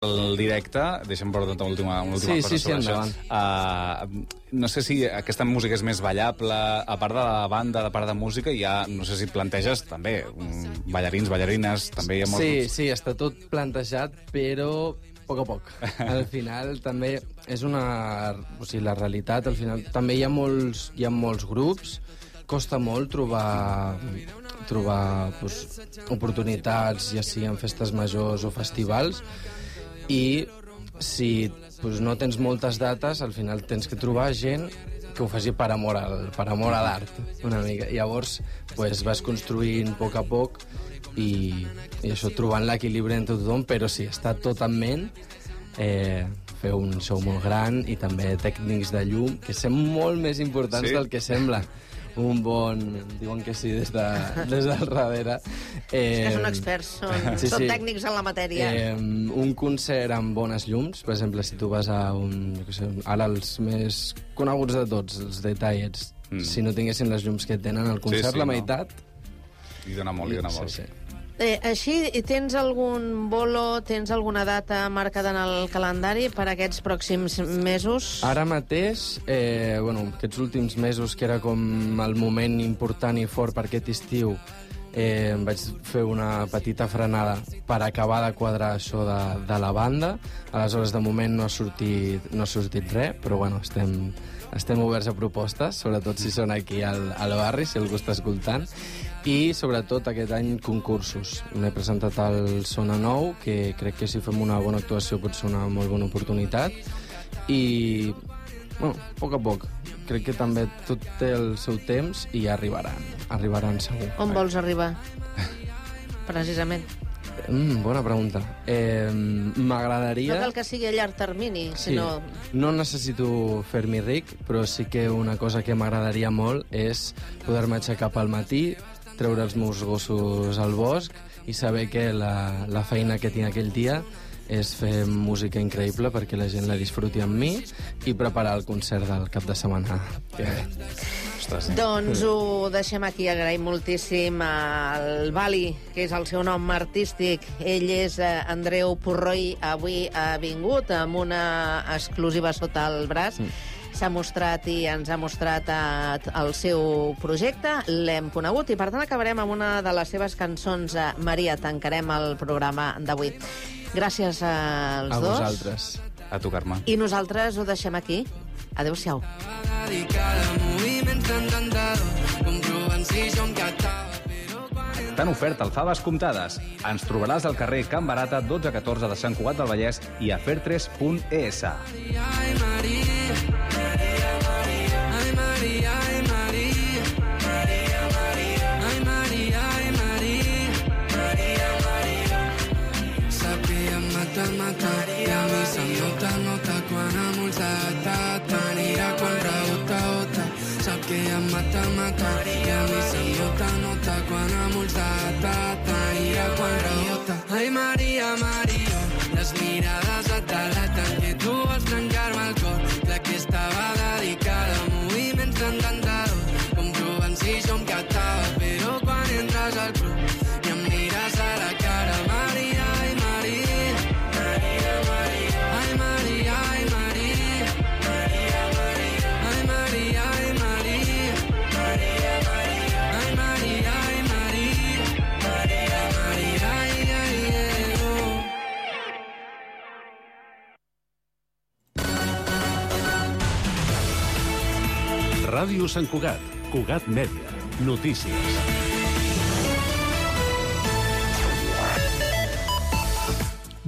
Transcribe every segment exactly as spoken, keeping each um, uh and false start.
el directe, deixa'm veure una última, una última sí, cosa sí, sobre sí, això. Uh, no sé si aquesta música és més ballable, a part de la banda, a part de música, hi ha, no sé si planteges també, um, ballarins, ballarines, també hi ha molts... Sí, sí, està tot plantejat, però a poc a poc. Al final també és una... O sigui, la realitat, al final també hi ha molts, hi ha molts grups, costa molt trobar, trobar pues, oportunitats, ja sigui en festes majors o festivals, i si pues, no tens moltes dates, al final tens que trobar gent que ho faci per amor al, per amor a l'art, una mica. Llavors pues, vas construint a poc a poc i, i això, trobant l'equilibri entre tothom, però sí, està tot en ment, eh, fer un show molt gran i també tècnics de llum, que són molt més importants sí? del que sembla. Un bon... Diuen que sí des, de, des del darrere. Eh, és que són experts, són, sí, són sí. tècnics en la matèria. Eh, un concert amb bones llums, per exemple, si tu vas a un... Jo què sé, ara els més coneguts de tots, els The Tiets, mm. si no tinguessin les llums que tenen al concert, sí, sí, la meitat... No. I dona molt, i dona molt. Sí, sí. Eh, així, tens algun bolo, tens alguna data marcada en el calendari per aquests pròxims mesos? Ara mateix, eh, bueno, aquests últims mesos, que era com el moment important i fort per aquest estiu, eh, vaig fer una petita frenada per acabar de quadrar això de, de la banda. Aleshores, de moment no ha sortit, no ha sortit res, però bueno, estem, estem oberts a propostes, sobretot si són aquí al, al barri, si algú està escoltant. I, sobretot, aquest any, concursos. M'he presentat al Sona Nou, que crec que si fem una bona actuació pot ser una molt bona oportunitat. I, bueno, a poc a poc. Crec que també tot té el seu temps i arribaran. Arribaran segur. On vols arribar? Precisament. Mm, bona pregunta. Eh, M'agradaria... No cal que sigui a llarg termini, sí. sinó... No necessito fer-m'hi ric, però sí que una cosa que m'agradaria molt és poder-me aixecar pel matí, treure els meus gossos al bosc i saber que la, la feina que tinc aquell dia és fer música increïble perquè la gent la disfruti amb mi i preparar el concert del cap de setmana. Que... Ostres. Doncs ho deixem aquí. Agraïm moltíssim al Bali, que és el seu nom artístic. Ell és Andreu Purroi. Avui ha vingut amb una exclusiva sota el braç. Mm. S'ha mostrat i ens ha mostrat el seu projecte, l'hem conegut i per tant acabarem amb una de les seves cançons. Maria, tancarem el programa d'avui. Gràcies als a dos. A vosaltres. A tu, Carme. I nosaltres ho deixem aquí. Adéu-siau. T'han ofert alfaves comptades. Ens trobaràs al carrer Can Barata, dotze catorze de Sant Cugat del Vallès i a fertres punt es. I a mi se'm nota, nota quan amb ulls d'atat m'anirà quan rebota, ota. Sap que em mata, mata. I a mi se'm nota, nota quan amb ulls d'atat m'anirà quan rebota. Ai, Maria, Maria, les mirades et delaten que tu vols trencar-me el cor. La que estava dedicada a moviments d'encantadors, com provant si jo em catava, però quan entres al club i em mires a la cara, Maria, ai, Maria. Ràdio Sant Cugat, Cugat Mèdia, notícies.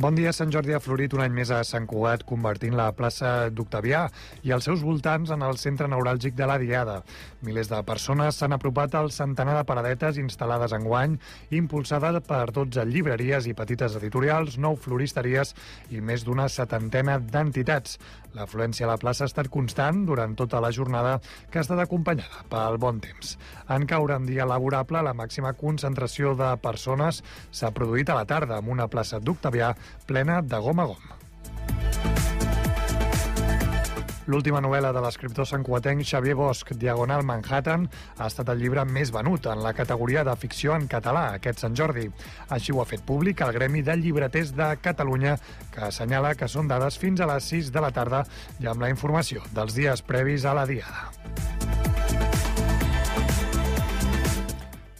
Bon dia. Sant Jordi ha florit un any més a Sant Cugat, convertint la plaça d'Octavià i els seus voltants en el centre neuràlgic de la Diada. Milers de persones s'han apropat al centenar de paradetes instal·lades enguany, impulsada per dotze llibreries i petites editorials, nou floristeries i més d'una setantena d'entitats. L'afluència a la plaça ha estat constant durant tota la jornada, que ha estat acompanyada pel bon temps. En caure en dia laborable, la màxima concentració de persones s'ha produït a la tarda, amb una plaça d'Octavià plena de gom a gom. L'última novel·la de l'escriptor santcugatenc Xavier Bosch, Diagonal Manhattan, ha estat el llibre més venut en la categoria de ficció en català aquest Sant Jordi. Així ho ha fet públic el Gremi de Llibreters de Catalunya, que assenyala que són dades fins a les sis de la tarda i amb la informació dels dies previs a la diada.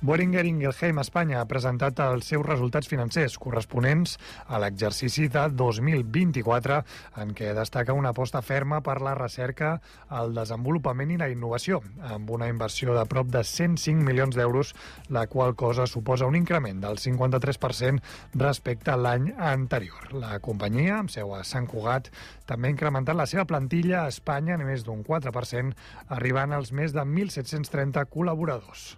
Boehringer Ingelheim Espanya ha presentat els seus resultats financers corresponents a l'exercici de dos mil vint-i-quatre, en què destaca una aposta ferma per la recerca, el desenvolupament i la innovació, amb una inversió de prop de cent cinc milions d'euros, la qual cosa suposa un increment del cinquanta-tres per cent respecte a l'any anterior. La companyia, amb seu a Sant Cugat, també ha incrementat la seva plantilla a Espanya en més d'un quatre per cent, arribant als més de mil set-cents trenta col·laboradors.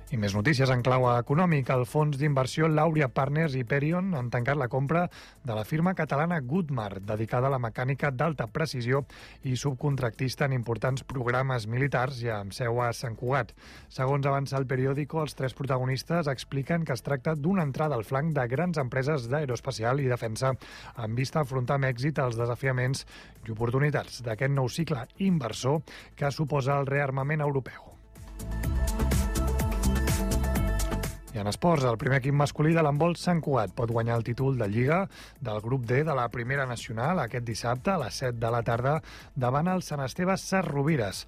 I més notícies en clau econòmic. El fons d'inversió Lauria Partners i Perion han tancat la compra de la firma catalana Goodmar, dedicada a la mecànica d'alta precisió i subcontractista en importants programes militars i amb seu a Sant Cugat. Segons avança el periòdico, els tres protagonistes expliquen que es tracta d'una entrada al flanc de grans empreses d'aeroespacial i defensa amb vista a afrontar amb èxit els desafiaments i oportunitats d'aquest nou cicle inversor que suposa el rearmament europeu. I en esports, el primer equip masculí de l'handbol Sant Cugat pot guanyar el títol de Lliga del grup D de la Primera Nacional aquest dissabte a les set de la tarda davant el Sant Esteve Sesrovires.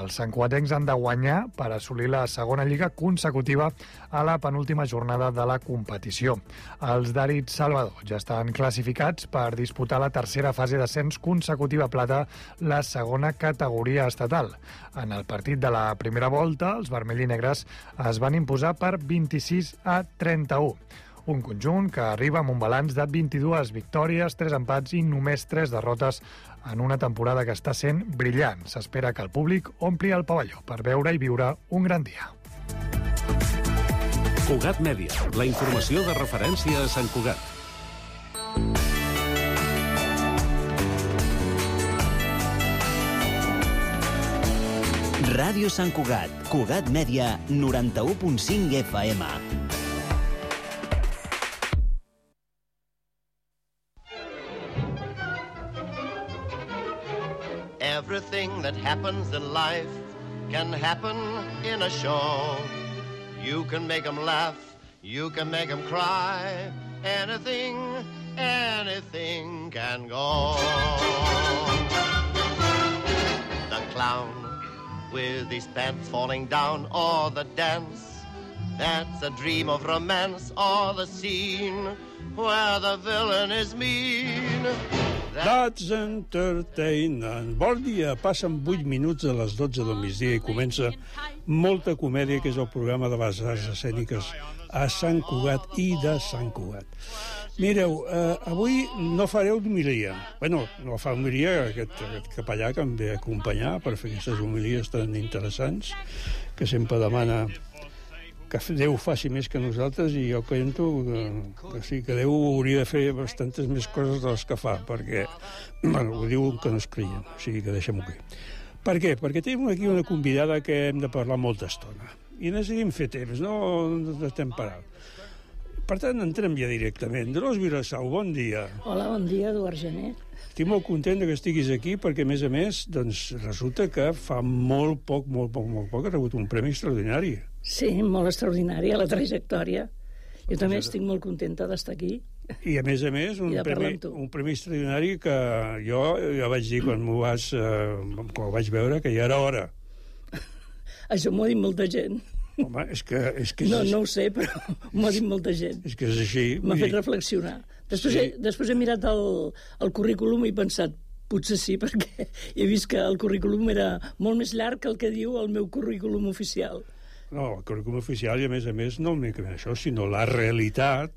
Els santcugatencs han de guanyar per assolir la segona Lliga consecutiva a la penúltima jornada de la competició. Els d'Àrid Salvador ja estan classificats per disputar la tercera fase d'ascens consecutiva plata, la segona categoria estatal. En el partit de la primera volta, els vermells i negres es van imposar per vint-i-sis a trenta-u. Un conjunt que arriba amb un balanç de vint-i-dues victòries, tres empats i només tres derrotes en una temporada que està sent brillant. S'espera que el públic ompli el pavelló per veure i viure un gran dia. Cugat Mèdia, la informació de referència a Sant Cugat. Ràdio Sant Cugat, Cugat Mèdia, noranta-u punt cinc F M. Everything that happens in life can happen in a show. You can make them laugh, you can make them cry. Anything, anything can go. The clown with his pants falling down, or the dance that's a dream of romance, or the scene where the villain is mean. That's entertainment. Bon dia, passen vuit minuts a les dotze del migdia i comença Molta Comèdia, que és el programa de les arts escèniques a Sant Cugat i de Sant Cugat. Mireu, eh, avui no fareu d'homilia. Bueno, no fa homilia aquest, aquest capellà que em ve a acompanyar per fer aquestes homilies tan interessants, que sempre demana que Déu faci més que nosaltres, i jo penso que, que sí, que Déu hauria de fer bastantes més coses de les que fa, perquè, bueno, ho diuen que no es creien, o sigui que deixem-ho aquí. Per què? Perquè tenim aquí una convidada que hem de parlar molta estona, i necessitem fer temps, no, no estem parant. Per tant, entrem ja directament. Dolors Vilassau, bon dia. Hola, bon dia, Eduard Gené. Estic molt content que estiguis aquí, perquè, a més a més, doncs, resulta que fa molt poc, molt poc, molt poc, ha rebut un premi extraordinari. Sí, molt extraordinària, la trajectòria. Jo també estic molt contenta d'estar aquí. I, a més a més, un, premi, un premi extraordinari que jo ja vaig dir quan m'ho vas, eh, quan ho vaig veure, que ja era hora. Això m'ho ha dit molta gent. Home, és que... És que és no, no ho sé, però m'ho ha dit molta gent. És que és així. M'ha fet reflexionar. Després, sí. he, després he mirat el, el currículum i he pensat, potser sí, perquè he vist que el currículum era molt més llarg que el que diu el meu currículum oficial. No, el currículum oficial, i a més a més, no únicament això, sinó la realitat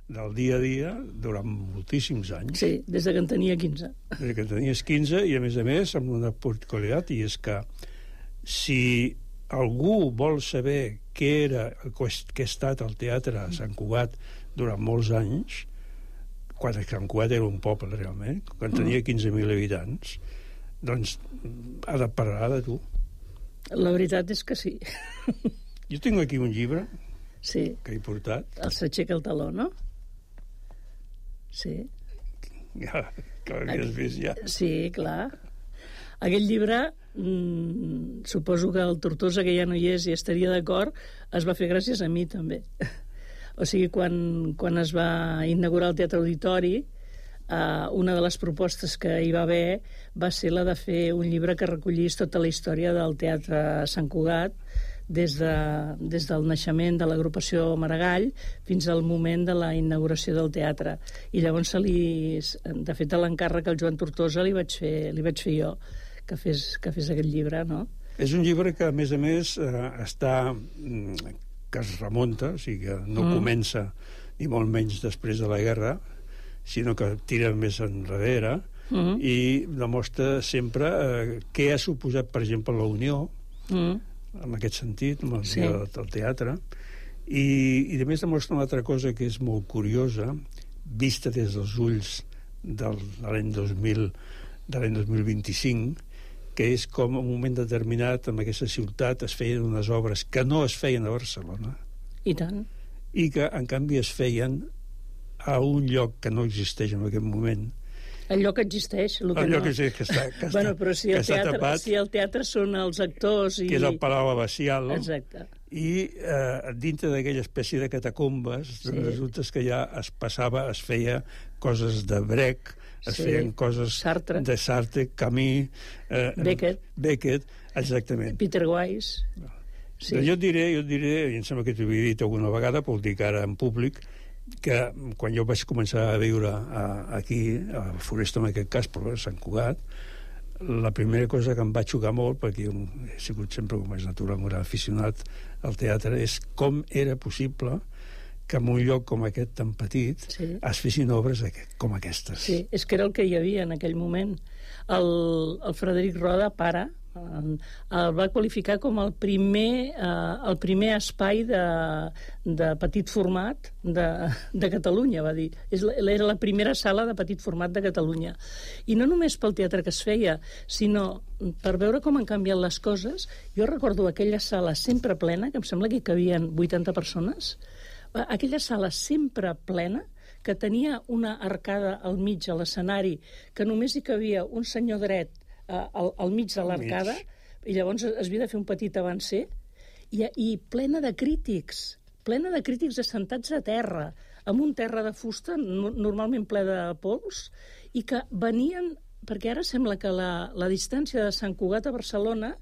del dia a dia durant moltíssims anys. Sí, des de que en tenia quinze. Des que en tenies quinze, i a més a més, amb una particularitat, i és que si algú vol saber què era, què ha estat el teatre a Sant Cugat durant molts anys, quan Sant Cugat era un poble realment, quan tenia quinze mil habitants, doncs ha de parlar de tu. La veritat és que sí. Jo tinc aquí un llibre sí. que he portat. El S'aixeca el taló, no? Sí. Ja, que l'havies vist ja. Sí, clar. Aquell llibre, mmm, suposo que el Tortosa, que ja no hi és i estaria d'acord, es va fer gràcies a mi, també. O sigui, quan, quan es va inaugurar el Teatre Auditori, eh, una de les propostes que hi va haver va ser la de fer un llibre que recollís tota la història del Teatre Sant Cugat, des, de, des del naixement de l'agrupació Maragall fins al moment de la inauguració del teatre. I llavors, se li, de fet, l'encàrrec al Joan Tortosa li vaig fer, li vaig fer jo, que fes, que fes aquest llibre, no? És un llibre que, a més a més, eh, està, que es remunta, o sigui que no mm. comença ni molt menys després de la guerra, sinó que tira més enrere mm. i demostra sempre eh, què ha suposat, per exemple, la Unió, mm. en aquest sentit, amb el sí. dia del teatre, i, i a més demostra una altra cosa que és molt curiosa, vista des dels ulls del, de l'any dos mil, de l'any dos mil vint-i-cinc, que és com en un moment determinat en aquesta ciutat es feien unes obres que no es feien a Barcelona. I tant. I que, en canvi, es feien a un lloc que no existeix en aquest moment. El lloc existeix, el que el no. lloc que, que està, que bueno, està, però si el, teatre, tapat, si el teatre són els actors i... que és el Palau Abacial, no? Exacte. I eh, dintre d'aquella espècie de catacombes, sí. resulta que ja es passava, es feia coses de Brecht, es sí. feien coses Sartre. de Sartre, Camus, eh, Beckett. Beckett, exactament. Peter Weiss. Sí. Jo et diré, jo et diré, i em sembla que t'ho havia dit alguna vegada, però ho dic ara en públic, que quan jo vaig començar a viure a, aquí, a Foresta en aquest cas, però a Sant Cugat, la primera cosa que em va xocar molt, perquè jo he sigut sempre, com és natural, un gran aficionat al teatre, és com era possible que en un lloc com aquest tan petit sí. es fessin obres com aquestes. Sí, és que era el que hi havia en aquell moment. El, el Frederic Roda, pare, el va qualificar com el primer, eh, el primer espai de, de petit format de, de Catalunya, va dir. És, era la primera sala de petit format de Catalunya. I no només pel teatre que es feia, sinó per veure com han canviat les coses. Jo recordo aquella sala sempre plena, que em sembla que hi cabien vuitanta persones, aquella sala sempre plena, que tenia una arcada al mig a l'escenari, que només hi cabia un senyor dret Al, al mig de l'arcada, i llavors es havia de fer un petit avancer, i, i plena de crítics, plena de crítics assentats a terra, amb un terra de fusta, no, normalment ple de pols, i que venien, perquè ara sembla que la, la distància de Sant Cugat a Barcelona,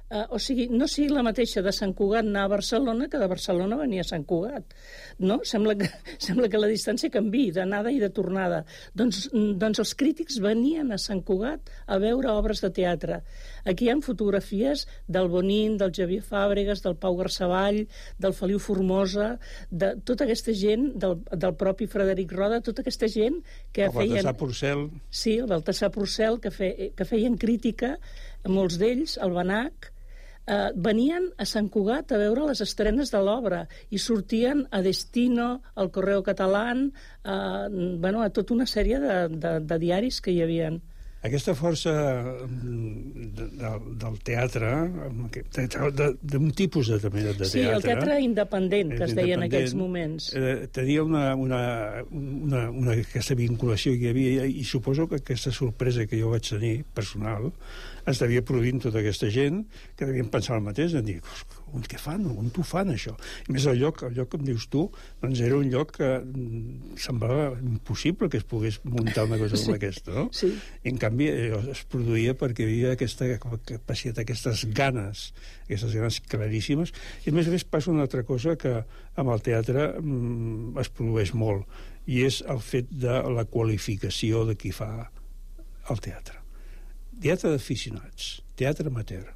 eh, o sigui, no sigui la mateixa de Sant Cugat anar a Barcelona que de Barcelona venir a Sant Cugat, no? Sembla que, sembla que la distància canviï d'anada i de tornada. Doncs, doncs els crítics venien a Sant Cugat a veure obres de teatre. Aquí hi ha fotografies del Bonín, del Xavier Fàbregas, del Pau Garceball, del Feliu Formosa, de tota aquesta gent, del, del propi Frederic Roda, tota aquesta gent que el feien... El Baltasar Porcel. Sí, el Baltasar Porcel, que, fe, que feien crítica, molts d'ells, el Banac, Uh, venien a Sant Cugat a veure les estrenes de l'obra i sortien a Destino, al Correo Catalán, uh, bueno, a tota una sèrie de, de, de diaris que hi havien. Aquesta força de, de, del teatre, d'un tipus de, de teatre... Sí, el teatre independent, que es deia en aquells moments. Eh, tenia una, una, una, una, aquesta vinculació que hi havia, i suposo que aquesta sorpresa que jo vaig tenir, personal, es devia produir tota aquesta gent que devien pensar el mateix, en dir, on què fan? On t'ho fan, això? I més, el lloc, el lloc que em dius tu, doncs era un lloc que semblava impossible que es pogués muntar una cosa sí. com aquesta, no? Sí. I, en canvi, es produïa perquè hi havia aquesta capacitat, aquestes ganes, aquestes ganes claríssimes. I, a més a més, passa una altra cosa que amb el teatre mm, es produeix molt, i és el fet de la qualificació de qui fa el teatre. Teatre d'aficionats, teatre amateur.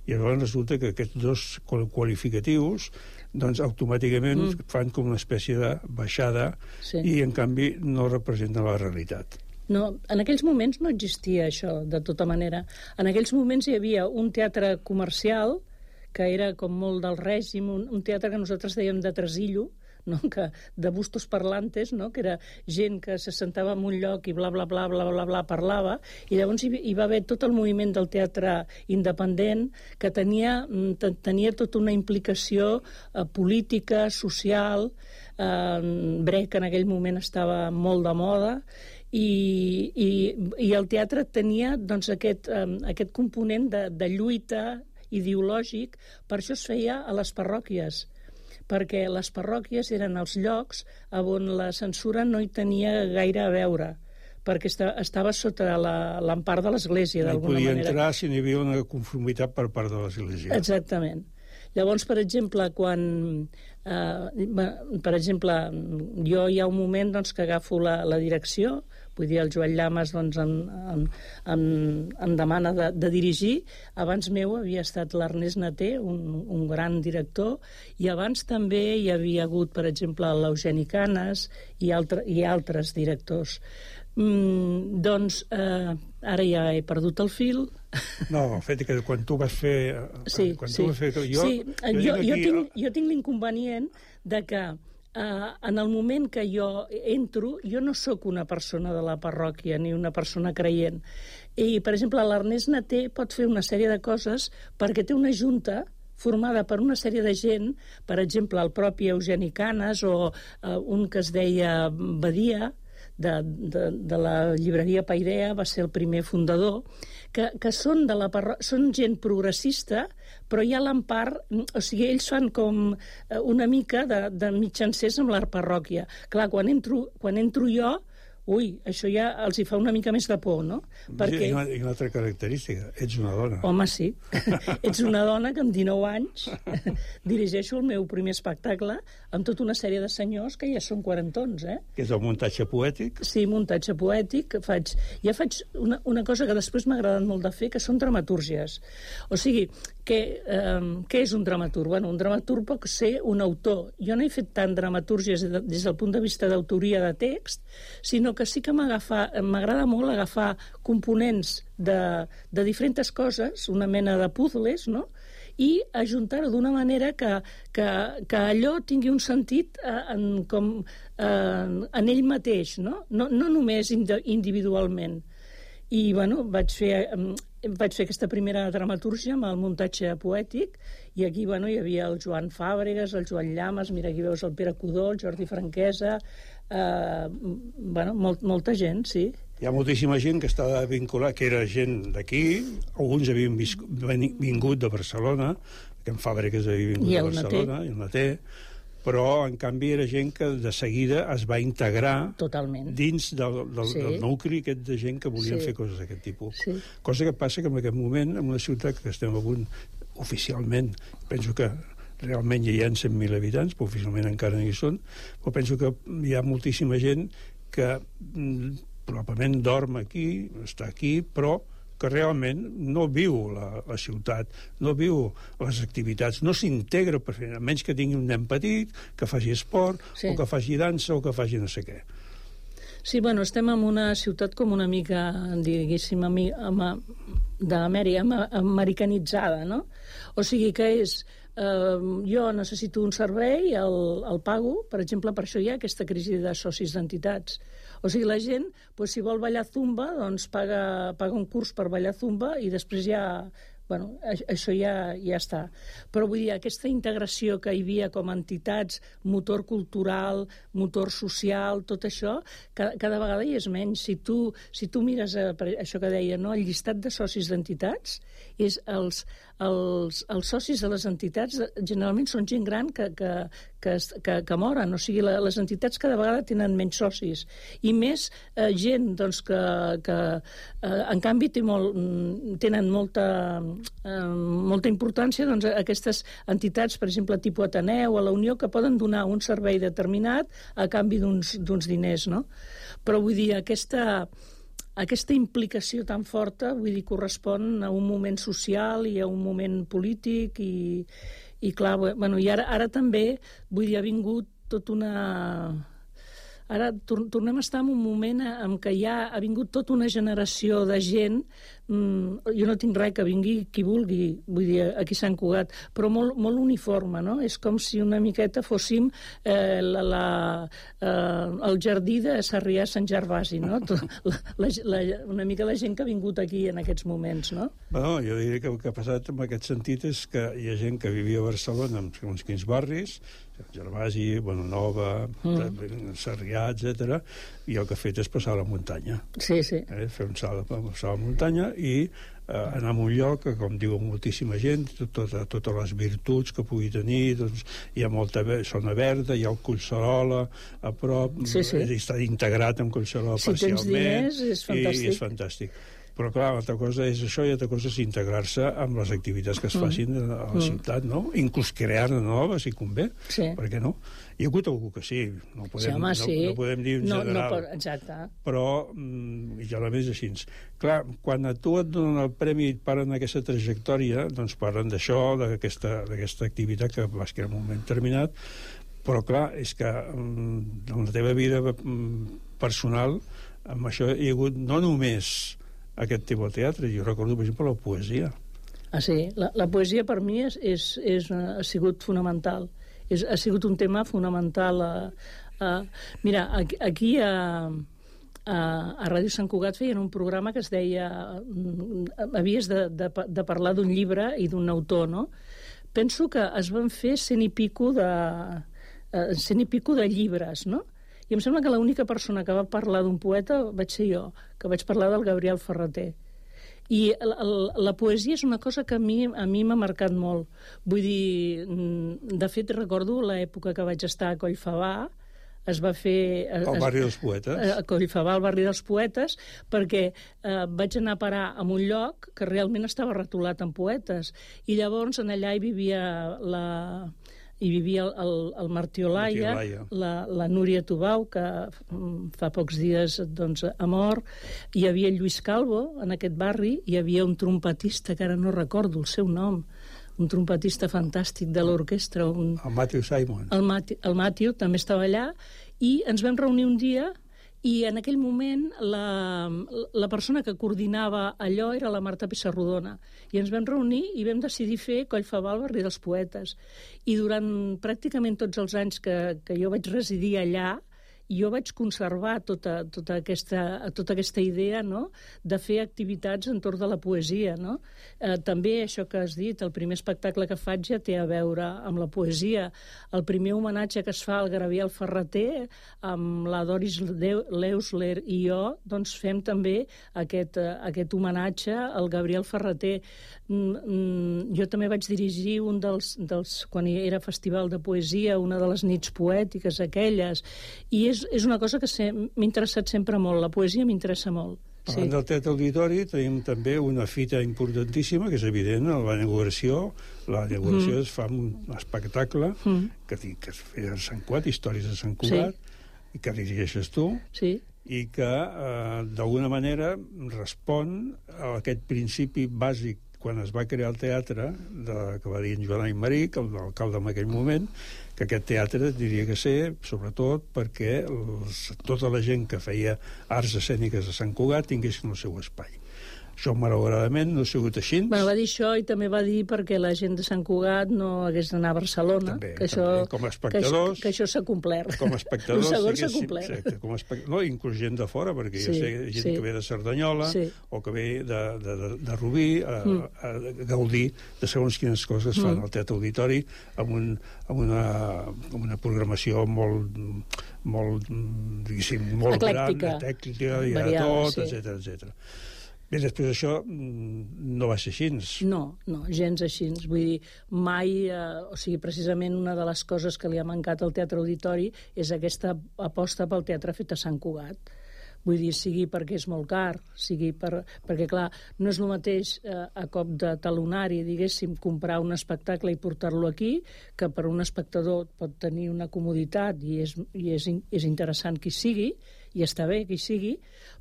I llavors resulta que aquests dos qualificatius doncs automàticament mm. fan com una espècie de baixada sí. i, en canvi, no representen la realitat. No, en aquells moments no existia això, de tota manera. En aquells moments hi havia un teatre comercial, que era com molt del règim, un, un teatre que nosaltres dèiem de tresillo, no? Que, de bustos parlantes, no? Que era gent que se sentava en un lloc i bla, bla, bla, bla, bla, bla, parlava, i llavors hi, hi va haver tot el moviment del teatre independent que tenia, tenia tota una implicació eh, política, social, eh, Brecht en aquell moment estava molt de moda, I, i, i el teatre tenia doncs, aquest, um, aquest component de, de lluita ideològic, per això es feia a les parròquies, perquè les parròquies eren els llocs on la censura no hi tenia gaire a veure, perquè estava sota l'empart de l'Església, d'alguna manera. No hi podia entrar si n'hi havia una conformitat per part de l'Església. Exactament. Llavors, per exemple, quan... Eh, per exemple, jo hi ha un moment doncs, que agafo la, la direcció, vull dir, el Joan Llamas doncs, em, em, em, em demana de, de dirigir. Abans meu havia estat l'Ernest Naté, un, un gran director, i abans també hi havia hagut, per exemple, l'Eugeni Canes i, altre, i altres directors. Mm, doncs eh, ara ja he perdut el fil. No, el fet que quan tu vas fer... Sí, quan sí. Tu vas fer jo, sí. jo, jo, aquí... jo, tinc, jo tinc l'inconvenient de que eh, en el moment que jo entro, jo no sóc una persona de la parròquia ni una persona creient. I, per exemple, l'Ernest Naté pot fer una sèrie de coses perquè té una junta formada per una sèrie de gent, per exemple, el propi Eugeni Canes o eh, un que es deia Badia, de, de, de la llibreria Pairea, va ser el primer fundador, que, que són, de la parro... són gent progressista, però hi ha l'empart, o sigui, ells fan com una mica de, de mitjancers amb la parròquia. Clar, quan entro, quan entro jo, ui, això ja els hi fa una mica més de por, no? Perquè... I una, i una altra característica, ets una dona. Home, sí. Ets una dona que amb dinou anys dirigeixo el meu primer espectacle amb tota una sèrie de senyors que ja són quarantons, eh? Que és el muntatge poètic? Sí, muntatge poètic. Faig... Ja faig una, una cosa que després m'ha agradat molt de fer, que són dramatúrgies. O sigui, que, eh, què és un dramaturg? Bueno, un dramaturg pot ser un autor. Jo no he fet tant dramatúrgies des del punt de vista d'autoria de text, sinó que sí que m'agrada molt agafar components de, de diferents coses, una mena de puzzles, no?, i ajuntar-ho d'una manera que, que, que allò tingui un sentit eh, en, com, eh, en ell mateix, no? No, no només individualment. I, bueno, vaig fer, vaig fer aquesta primera dramatúrgia amb el muntatge poètic, i aquí, bueno, hi havia el Joan Fàbregas, el Joan Llamas, mira, aquí veus el Pere Codó, el Jordi Franquesa, eh, bueno, molt, molta gent, sí. Hi ha moltíssima gent que està vinculada, que era gent d'aquí, alguns havien vingut de Barcelona, que en Fàbregas havia vingut de Barcelona, i el Naté, però, en canvi, era gent que de seguida es va integrar totalment dins del, del, sí. del nucli aquest de gent que volien sí. fer coses d'aquest tipus. Sí. Cosa que passa que en aquest moment, en una ciutat que estem a punt, oficialment, penso que realment ja hi ha cent mil habitants, però oficialment encara no hi són, però penso que hi ha moltíssima gent que probablement dorm aquí, està aquí, però que realment no viu la, la ciutat, no viu les activitats, no s'integra perfectament, a menys que tingui un nen petit, que faci esport, sí. o que faci dansa, o que faci no sé què. Sí, bueno, estem en una ciutat com una mica, diguéssim, d'Amèrica, americanitzada, no? O sigui que és... Uh, jo necessito un servei, el, el pago, per exemple, per això hi ha aquesta crisi de socis d'entitats. O sigui, la gent, pues, si vol ballar zumba, doncs paga, paga un curs per ballar zumba i després ja... Bueno, això ja, ja està. Però vull dir, aquesta integració que hi havia com a entitats, motor cultural, motor social, tot això, cada, cada vegada hi és menys. Si tu, si tu mires a, això que deia, no? El llistat de socis d'entitats, és els, els, els socis de les entitats generalment són gent gran que, que, que, que, que moren. O sigui, la, les entitats cada vegada tenen menys socis. I més eh, gent doncs, que, que eh, en canvi té molt, tenen molta... molta importància doncs, a aquestes entitats, per exemple, tipus Ateneu o la Unió, que poden donar un servei determinat a canvi d'uns diners, no? Però vull dir, aquesta, aquesta implicació tan forta, vull dir, correspon a un moment social i a un moment polític i, i clar, bueno, i ara, ara també, vull dir, ha vingut tot una... Ara tor tornem a estar en un moment en què ja ha vingut tota una generació de gent, mm, jo no tinc res que vingui qui vulgui, vull dir, aquí a Sant Cugat, però molt, molt uniforme, no? És com si una miqueta fóssim eh, la, la, eh, el jardí de Sarrià-Sant Gervasi, no? La, la, la, una mica la gent que ha vingut aquí en aquests moments, no? Bueno, jo diria que el que ha passat en aquest sentit és que hi ha gent que vivia a Barcelona en uns quins barris, Gervasi, Bonanova, mm. Sarrià, etcètera, i el que ha fet és passar a la muntanya. Sí, sí. Eh, fer un salt a passar a la muntanya i eh, anar a un lloc que, com diu moltíssima gent, tota, totes les virtuts que pugui tenir, doncs, hi ha molta zona verda, hi ha el Collserola a prop, sí, sí. està integrat amb Collserola si parcialment. Si tens diners, és fantàstic. I, i és fantàstic. Però, clar, altra cosa és això i altra cosa és integrar-se amb les activitats que es facin a la mm. ciutat, no? Inclús crear-ne noves, si convé. Sí. Per què no? Hi ha hagut algú que sí. No podem, sí, home, sí. No, no podem dir en no, general. No, exacte. Però, mm, ja la més així. Clar, quan a tu et donen el premi i et parlen d'aquesta trajectòria, doncs parlen d'això, d'aquesta activitat que vas crear en un moment determinat, però, clar, és que mm, en la teva vida mm, personal, amb això hi ha hagut no només aquest tipus de teatre, jo recordo, per exemple, la poesia. Ah, sí? La, la poesia per mi és, és, és, ha sigut fonamental. És, ha sigut un tema fonamental. A, a, mira, aquí a, a, a Ràdio Sant Cugat feien un programa que es deia... Havies de, de, de parlar d'un llibre i d'un autor, no? Penso que es van fer cent i pico de, cent i pico de llibres, no? I em sembla que l'única persona que va parlar d'un poeta vaig ser jo, que vaig parlar del Gabriel Ferrater. I la, la, la poesia és una cosa que a mi a mi m'ha marcat molt. Vull dir, de fet, recordo l'època que vaig estar a Collfabà, es va fer... Al barri dels poetes. A Collfabà, al barri dels poetes, perquè eh, vaig anar a parar a un lloc que realment estava retolat amb poetes. I llavors en allà hi vivia la... hi vivia el, el, el Martí Olaya, la, la Núria Tubau, que fa pocs dies doncs, ha mort, hi havia Lluís Calvo, en aquest barri, hi havia un trompetista, que ara no recordo el seu nom, un trompetista fantàstic de l'orquestra. Un... El Matthew Simon. El, Mati, el Matthew també estava allà, i ens vam reunir un dia, i en aquell moment la, la persona que coordinava allò era la Marta Pissarrodona. I ens vam reunir i vam decidir fer Collfabà al barri dels poetes. I durant pràcticament tots els anys que, que jo vaig residir allà, jo vaig conservar tota, tota, aquesta, tota aquesta idea, no?, de fer activitats entorn de la poesia, no? Eh, també això que has dit, el primer espectacle que faig ja té a veure amb la poesia. El primer homenatge que es fa al Gabriel Ferrater, amb la Doris Leusler i jo, doncs fem també aquest, aquest homenatge al Gabriel Ferrater. Mm, jo també vaig dirigir un dels, dels, quan era festival de poesia, una de les nits poètiques aquelles, i és És, és una cosa que m'ha interessat sempre molt. La poesia m'interessa molt. Parlant sí. del Teatre Auditori, tenim també una fita importantíssima, que és evident, la inauguració. La inauguració mm. es fa un espectacle mm. que, que es feia a Sant Cugat, Històries de Sant Cugat, sí. i que dirigeixes tu, sí. i que eh, d'alguna manera respon a aquest principi bàsic quan es va crear el teatre, de, que va dir en Joan Aymeric, l'alcalde en aquell moment, que aquest teatre diria que ser, sobretot, perquè els, tota la gent que feia arts escèniques a Sant Cugat tinguessin el seu espai. Això, malauradament, no ha sigut així. Bueno, va dir això i també va dir perquè la gent de Sant Cugat no hagués d'anar a Barcelona. També, que això, també. Com a espectadors... Que, que això s'ha complert. Com a espectadors... El segon s'ha complert. Exacte, com a espect... No, inclús gent de fora, perquè sí, jo sé gent sí. que ve de Cerdanyola sí. o que ve de, de, de, de Rubí a, mm. a, a gaudir de segons quines coses fan mm. al Teatre Auditori amb, un, amb, una, amb una programació molt, molt diguéssim, molt eclèctica, gran, tècnica, i de tot, sí. etcètera, etcètera. Bé, després això no va ser així. No, no, gens així. Vull dir, mai... Eh, o sigui, precisament una de les coses que li ha mancat al Teatre Auditori és aquesta aposta pel teatre fet a Sant Cugat. Vull dir, sigui perquè és molt car, sigui per, perquè, clar, no és el mateix eh, a cop de talonari, diguéssim, comprar un espectacle i portar-lo aquí, que per un espectador pot tenir una comoditat i és, i és, és interessant que hi sigui, i està bé que hi sigui,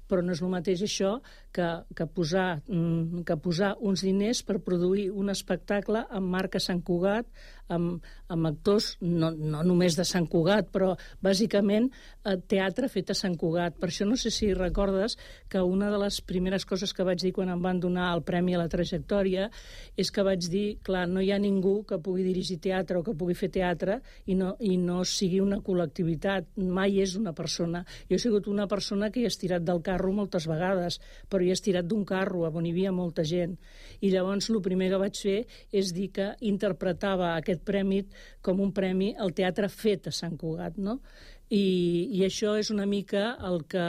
però no és el mateix això que, que, posar, que posar uns diners per produir un espectacle amb marca Sant Cugat, amb, amb actors no, no només de Sant Cugat, però bàsicament eh, teatre fet a Sant Cugat. Per això no sé si recordes que una de les primeres coses que vaig dir quan em van donar el Premi a la Trajectòria és que vaig dir, clar, no hi ha ningú que pugui dirigir teatre o que pugui fer teatre i no, i no sigui una col·lectivitat, mai és una persona. Jo he sigut una persona que hi he estirat del carro moltes vegades, però hi he estirat d'un carro on hi havia molta gent. I llavors el primer que vaig fer és dir que interpretava aquest premi com un premi al teatre fet a Sant Cugat, no? I, i això és una mica el que,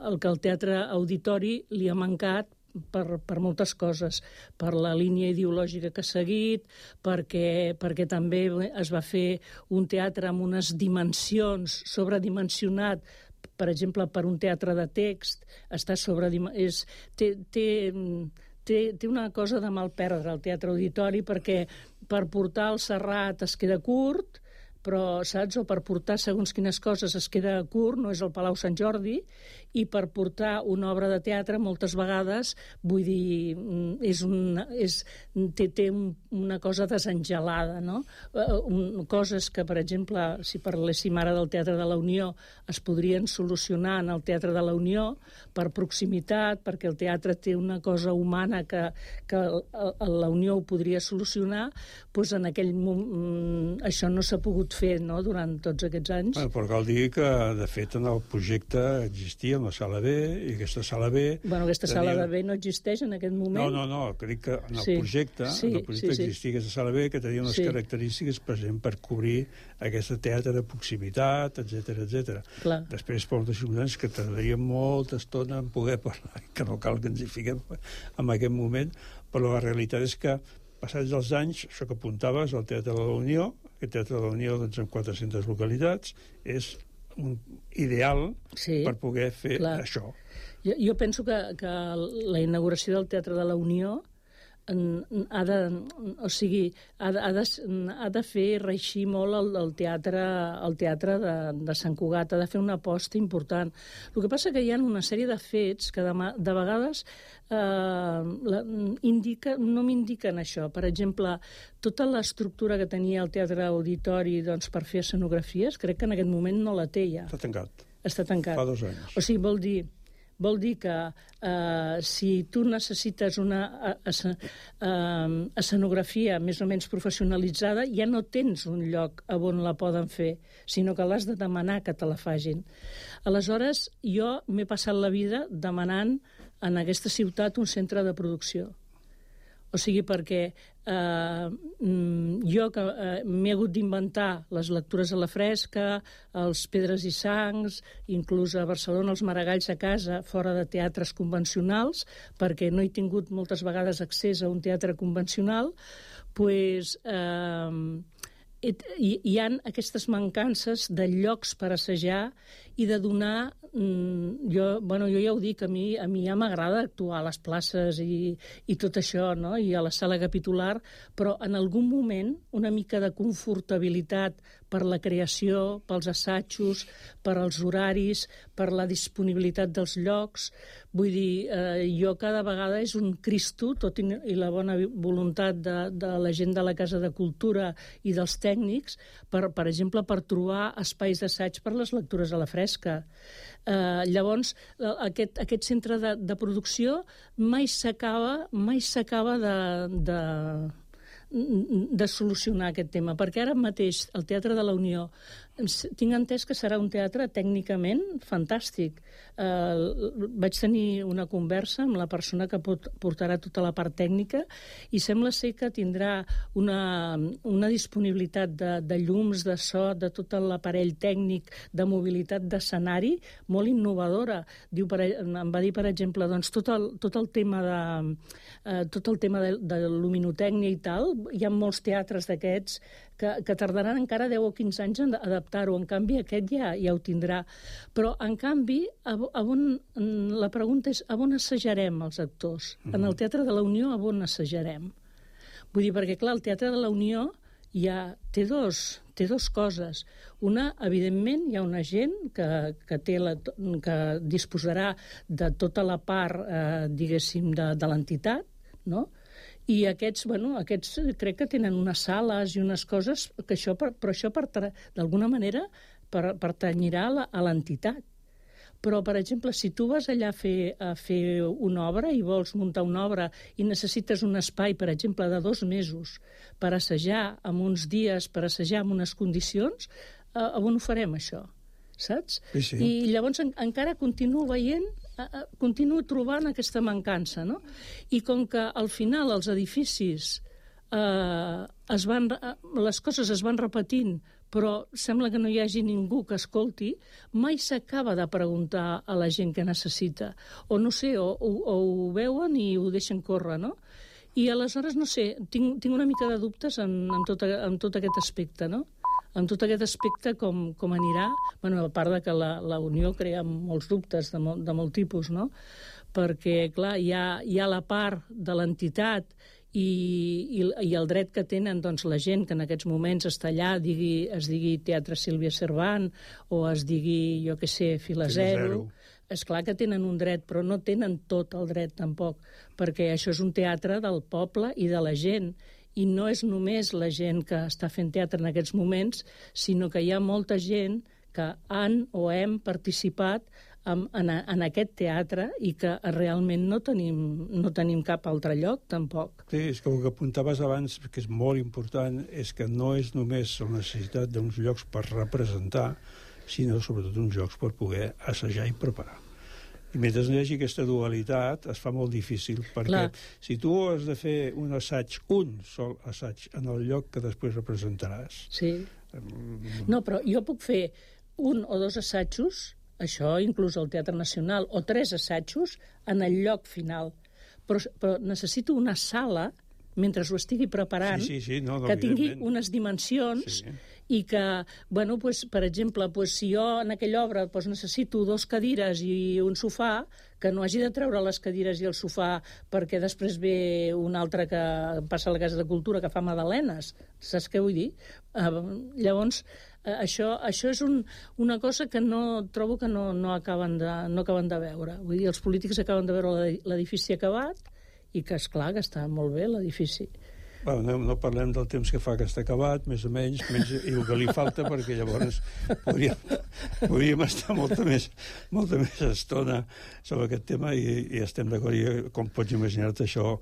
el que al Teatre Auditori li ha mancat per, per moltes coses, per la línia ideològica que ha seguit, perquè, perquè també es va fer un teatre amb unes dimensions, sobredimensionat, per exemple, per un teatre de text, està sobredimensionat, té, té, té, té una cosa de mal perdre el Teatre Auditori, perquè per portar el Serrat es queda curt, però, saps, o per portar segons quines coses es queda curt, no és el Palau Sant Jordi, i per portar una obra de teatre moltes vegades, vull dir, és una, és, té, té una cosa desengelada, no? Uh, coses que, per exemple, si parléssim ara del Teatre de la Unió, es podrien solucionar en el Teatre de la Unió per proximitat, perquè el teatre té una cosa humana que, que la Unió ho podria solucionar, doncs en aquell moment això no s'ha pogut fer, no?, durant tots aquests anys. Bueno, però cal dir que, de fet, en el projecte existia una sala B, i aquesta sala B... Bueno, aquesta tenia... sala de B no existeix en aquest moment. No, no, no, que dic que en el sí, projecte, sí, en el projecte sí, sí. existia aquesta sala B que tenia unes sí. característiques, per exemple, per cobrir aquest teatre de proximitat, etcètera, etcètera. Clar. Després, per moltes circumstàncies, que tardaria molta estona en poder parlar, que no cal que ens hi fiquem en aquest moment, però la realitat és que passats els anys, això que apuntaves, el Teatre de la Unió, aquest Teatre de la Unió, doncs, en quatre-centes localitats, és un ideal sí, per poder fer clar. Això. Jo, jo penso que, que la inauguració del Teatre de la Unió ha de, o sigui, ha de, ha de, ha de fer reeixir molt el, el teatre, el teatre de, de Sant Cugat, ha de fer una aposta important. El que passa que hi ha una sèrie de fets que de, de vegades eh, la, indica, no m'indiquen això. Per exemple, tota l'estructura que tenia el Teatre Auditori, doncs, per fer escenografies, crec que en aquest moment no la té ja. Està tancat. Està tancat. Fa dos anys. O sigui, vol dir... Vol dir que eh, si tu necessites una es, eh, escenografia més o menys professionalitzada, ja no tens un lloc on la poden fer, sinó que l'has de demanar que te la fagin. Aleshores, jo m'he passat la vida demanant en aquesta ciutat un centre de producció. O sigui, perquè eh, jo que eh, m'he hagut d'inventar les lectures a la fresca, els Pedres i Sangs, inclús a Barcelona els Maragalls a casa, fora de teatres convencionals, perquè no he tingut moltes vegades accés a un teatre convencional, doncs eh, hi, hi ha aquestes mancances de llocs per assajar i de donar... Jo, bueno, jo ja ho dic, a mi, a mi ja m'agrada actuar a les places i, i tot això, no? I a la sala capitular, però en algun moment una mica de confortabilitat per la creació, pels assajos, per als horaris, per la disponibilitat dels llocs. Vull dir, eh, jo cada vegada és un Cristo, tot i, i la bona voluntat de, de la gent de la Casa de Cultura i dels tècnics, per, per exemple, per trobar espais d'assaig per les lectures a la fresca. Uh, llavors, aquest, aquest centre de, de producció mai s'acaba mai s'acaba de, de, de solucionar aquest tema, perquè ara mateix el Teatre de la Unió tinc entès que serà un teatre tècnicament fantàstic. Uh, vaig tenir una conversa amb la persona que pot, portarà tota la part tècnica i sembla ser que tindrà una, una disponibilitat de, de llums, de so, de tot l'aparell tècnic, de mobilitat d'escenari molt innovadora. Diu, per, em va dir, per exemple, doncs, tot, el, tot el tema de uh, tot el tema de, de luminotècnia i tal, hi ha molts teatres d'aquests que, que tardaran encara deu o quinze anys en adaptar-ho. En canvi, aquest ja, ja ho tindrà. Però, en canvi, a, a on, la pregunta és a on assajarem els actors? Mm-hmm. En el Teatre de la Unió, a on assajarem? Vull dir, perquè, clar, el Teatre de la Unió hi ha, té, dos, té dos coses. Una, evidentment, hi ha una gent que, que, té la, que disposarà de tota la part, eh, diguéssim, de, de l'entitat, no? I aquests, bueno, aquests crec que tenen unes sales i unes coses, que això, però això d'alguna manera per, pertanyirà a l'entitat. Però, per exemple, si tu vas allà a fer, a fer una obra i vols muntar una obra i necessites un espai, per exemple, de dos mesos per assajar en uns dies, per assajar en unes condicions, eh, on ho farem, això? Saps? Sí, sí. I llavors en, encara continuo veient, eh, continuo trobant aquesta mancança, no? I com que al final els edificis, eh, es van, les coses es van repetint, però sembla que no hi hagi ningú que escolti, mai s'acaba de preguntar a la gent què necessita. O no sé, o, o, o ho veuen i ho deixen córrer, no? I aleshores, no sé, tinc, tinc una mica de dubtes en, en, tot, en tot aquest aspecte, no? En tot aquest aspecte, com, com anirà, bueno, a part de que la, la Unió crea molts dubtes de, molt, de molt tipus, no? Perquè, clar, hi ha, hi ha la part de l'entitat i, i, i el dret que tenen doncs, la gent que en aquests moments està allà, digui, es digui Teatre Sílvia Cervant o es digui, jo què sé, Fila Zero. És clar que tenen un dret, però no tenen tot el dret tampoc, perquè això és un teatre del poble i de la gent, i no és només la gent que està fent teatre en aquests moments, sinó que hi ha molta gent que han o hem participat en, en, en aquest teatre i que realment no tenim, no tenim cap altre lloc, tampoc. Sí, és que el que apuntaves abans, que és molt important, és que no és només la necessitat d'uns llocs per representar, sinó sobretot uns llocs per poder assajar i preparar. I mentre no hi hagi aquesta dualitat, es fa molt difícil, perquè Clar. si tu has de fer un assaig, un sol assaig, en el lloc que després representaràs... Sí. No, però jo puc fer un o dos assajos, això inclús al Teatre Nacional, o tres assajos en el lloc final. Però, però necessito una sala, mentre ho estigui preparant, sí, sí, sí, no, no, que tingui unes dimensions... Sí. I que, bueno, pues, per exemple, pues, si jo en aquella obra pues, necessito dos cadires i un sofà, que no hagi de treure les cadires i el sofà perquè després ve un altre que passa a la Casa de Cultura que fa magdalenes. Saps què vull dir? Uh, llavors, uh, això, això és un, una cosa que no trobo que no, no, acaben de, no acaben de veure. Vull dir, els polítics acaben de veure l'edifici acabat i que, esclar, que està molt bé l'edifici. Bueno, no, no parlem del temps que fa que està acabat, més o menys, menys i el que li falta, perquè llavors podríem, podríem estar molta més, molta més estona sobre aquest tema i, i estem d'acord. I, com pots imaginar-te això,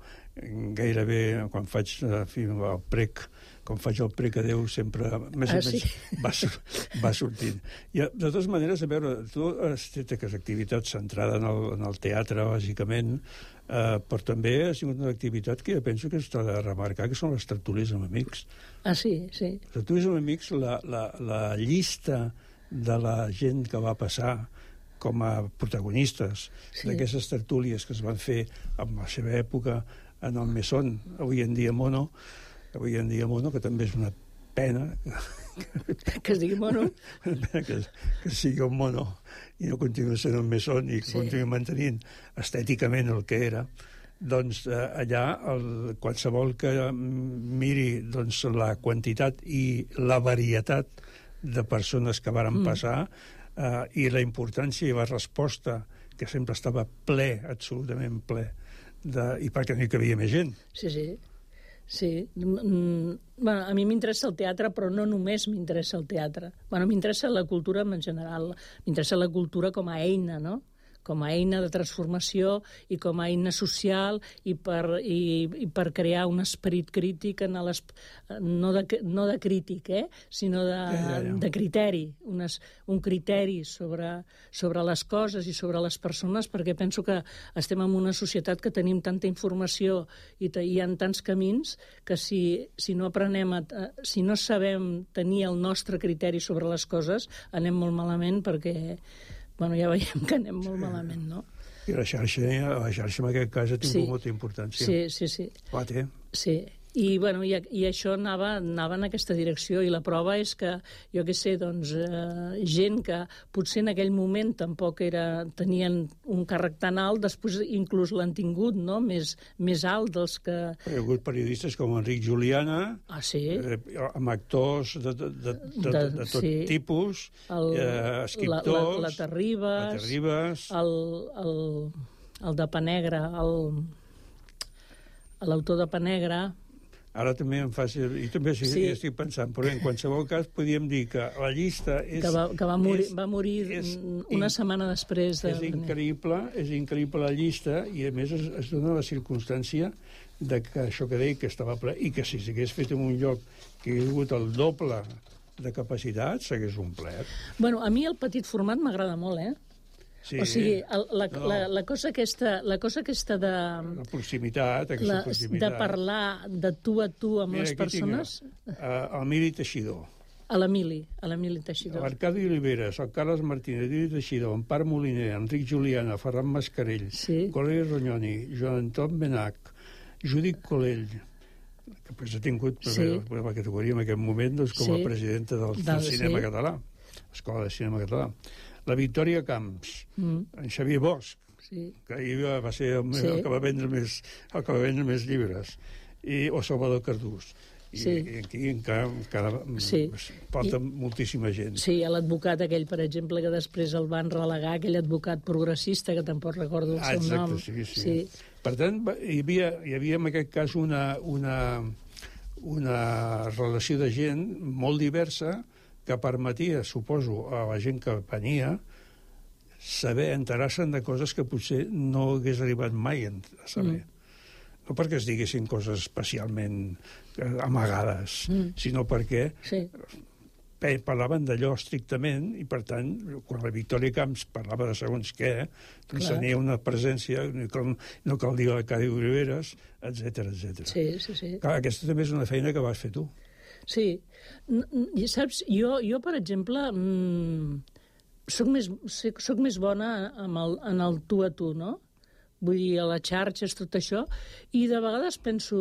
gairebé quan faig en fi, el prec, quan faig el prec a Déu, sempre més o ah, menys sí? va, va sortint. I, de totes maneres, a veure, tu has fet aquesta activitat centrada en el, en el teatre, bàsicament, Uh, però també ha sigut una activitat que jo penso que s'ha de remarcar, que són les tertúlies amb amics. Ah, sí, sí. Les tertúlies amb amics, la, la, la llista de la gent que va passar com a protagonistes sí. d'aquestes tertúlies que es van fer en la seva època en el Mesón, avui en dia Mono, avui en dia Mono, que també és una pena que es digui mono que, que sigui un mono i no continua sent un Mesón i que sí. continua mantenint estèticament el que era, doncs eh, allà el, qualsevol que miri doncs, la quantitat i la varietat de persones que varen mm. passar eh, i la importància i la resposta que sempre estava ple, absolutament ple de, i perquè no hi cabia més gent. Sí, sí. Sí, mm, bueno, a mi m'interessa el teatre, però no només m'interessa el teatre. Bueno, m'interessa la cultura en general, m'interessa la cultura com a eina, no? Com a eina de transformació i com a eina social i per, i, i per crear un esperit crític, en les, no, de, no de crític, eh? sinó de, ja, ja, ja. de criteri, unes, un criteri sobre, sobre les coses i sobre les persones, perquè penso que estem en una societat que tenim tanta informació i te, hi ha tants camins que si, si no aprenem, a, si no sabem tenir el nostre criteri sobre les coses, anem molt malament perquè... Bueno, ja veiem que anem molt sí. malament, no? I la xarxa, la xarxa en aquest cas ha tingut sí. molta importància. Sí, sí, sí. La té. Sí, I, bueno, i, i això anava, anava en aquesta direcció, i la prova és que, jo què sé, doncs, eh, gent que potser en aquell moment tampoc era, tenien un càrrec tan alt, després inclús l'han tingut, no?, més, més alt dels que... Hi ha hagut periodistes com Enric Juliana, ah, sí? eh, amb actors de, de, de, de, de, de tot sí. tipus, el, eh, escriptors... La, la, la Terribas, la Terribas el, el, el de Panegra, l'autor de Panegra... Ara també em fa... I també sí, sí. estic pensant, però en qualsevol cas podríem dir que la llista és... Que va, que va morir, és, va morir és una in, setmana després de... És increïble, és increïble la llista, i a més es, es dona la circumstància de que això que deia que estava ple, i que si s'hagués fet en un lloc que hagués hagut el doble de capacitat, s'hagués omplert. Bueno, a mi el petit format m'agrada molt, eh? Sí, o sigui, el, la, no. la, la, cosa aquesta, la cosa aquesta de... La proximitat, aquesta la, proximitat. De parlar de tu a tu amb Mira, les persones... Tinc, uh, el Mili Teixidor. A l'Emili, a l'Emili Teixidor. L'Arcadi Oliveres, el Carles Martínez, Emili Teixidor, Empar Moliner, Enric Juliana, Ferran Mascarell, sí. Coleri Ronyoni, Joan Anton Benac, Judit Colell, que pues, ha tingut sí. per la categoria en aquest moment doncs, com a sí. presidenta del, del, del cinema sí. català, Escola de Cinema Català. La Victòria Camps, mm. en Xavier Bosch, sí. que ahir va ser el, sí. el, que va vendre més, el que va vendre més llibres, i, o Salvador Cardús. I, sí. i aquí encara, encara sí. falta I, moltíssima gent. Sí, l'advocat aquell, per exemple, que després el van relegar, aquell advocat progressista, que tampoc recordo el ah, seu exacte, nom. Sí, sí. Sí. Per tant, hi havia, hi havia en aquest cas una, una, una relació de gent molt diversa que permetia, suposo, a la gent que venia saber, enterar-se'n de coses que potser no hagués arribat mai a saber. Mm. No perquè es diguessin coses especialment amagades, mm. sinó perquè sí. parlaven d'allò estrictament, i per tant, quan la Victòria Camps parlava de segons què, doncs tenia una presència, no cal, no cal dir l'Arcadi Oliveres, etcètera, etcètera. Sí, sí, sí. Clar, aquesta també és una feina que vas fer tu. Sí. I saps, jo, jo per exemple, mmm, soc, més, soc més bona amb el, en el tu a tu, no? Vull dir, a les xarxes, tot això, i de vegades penso,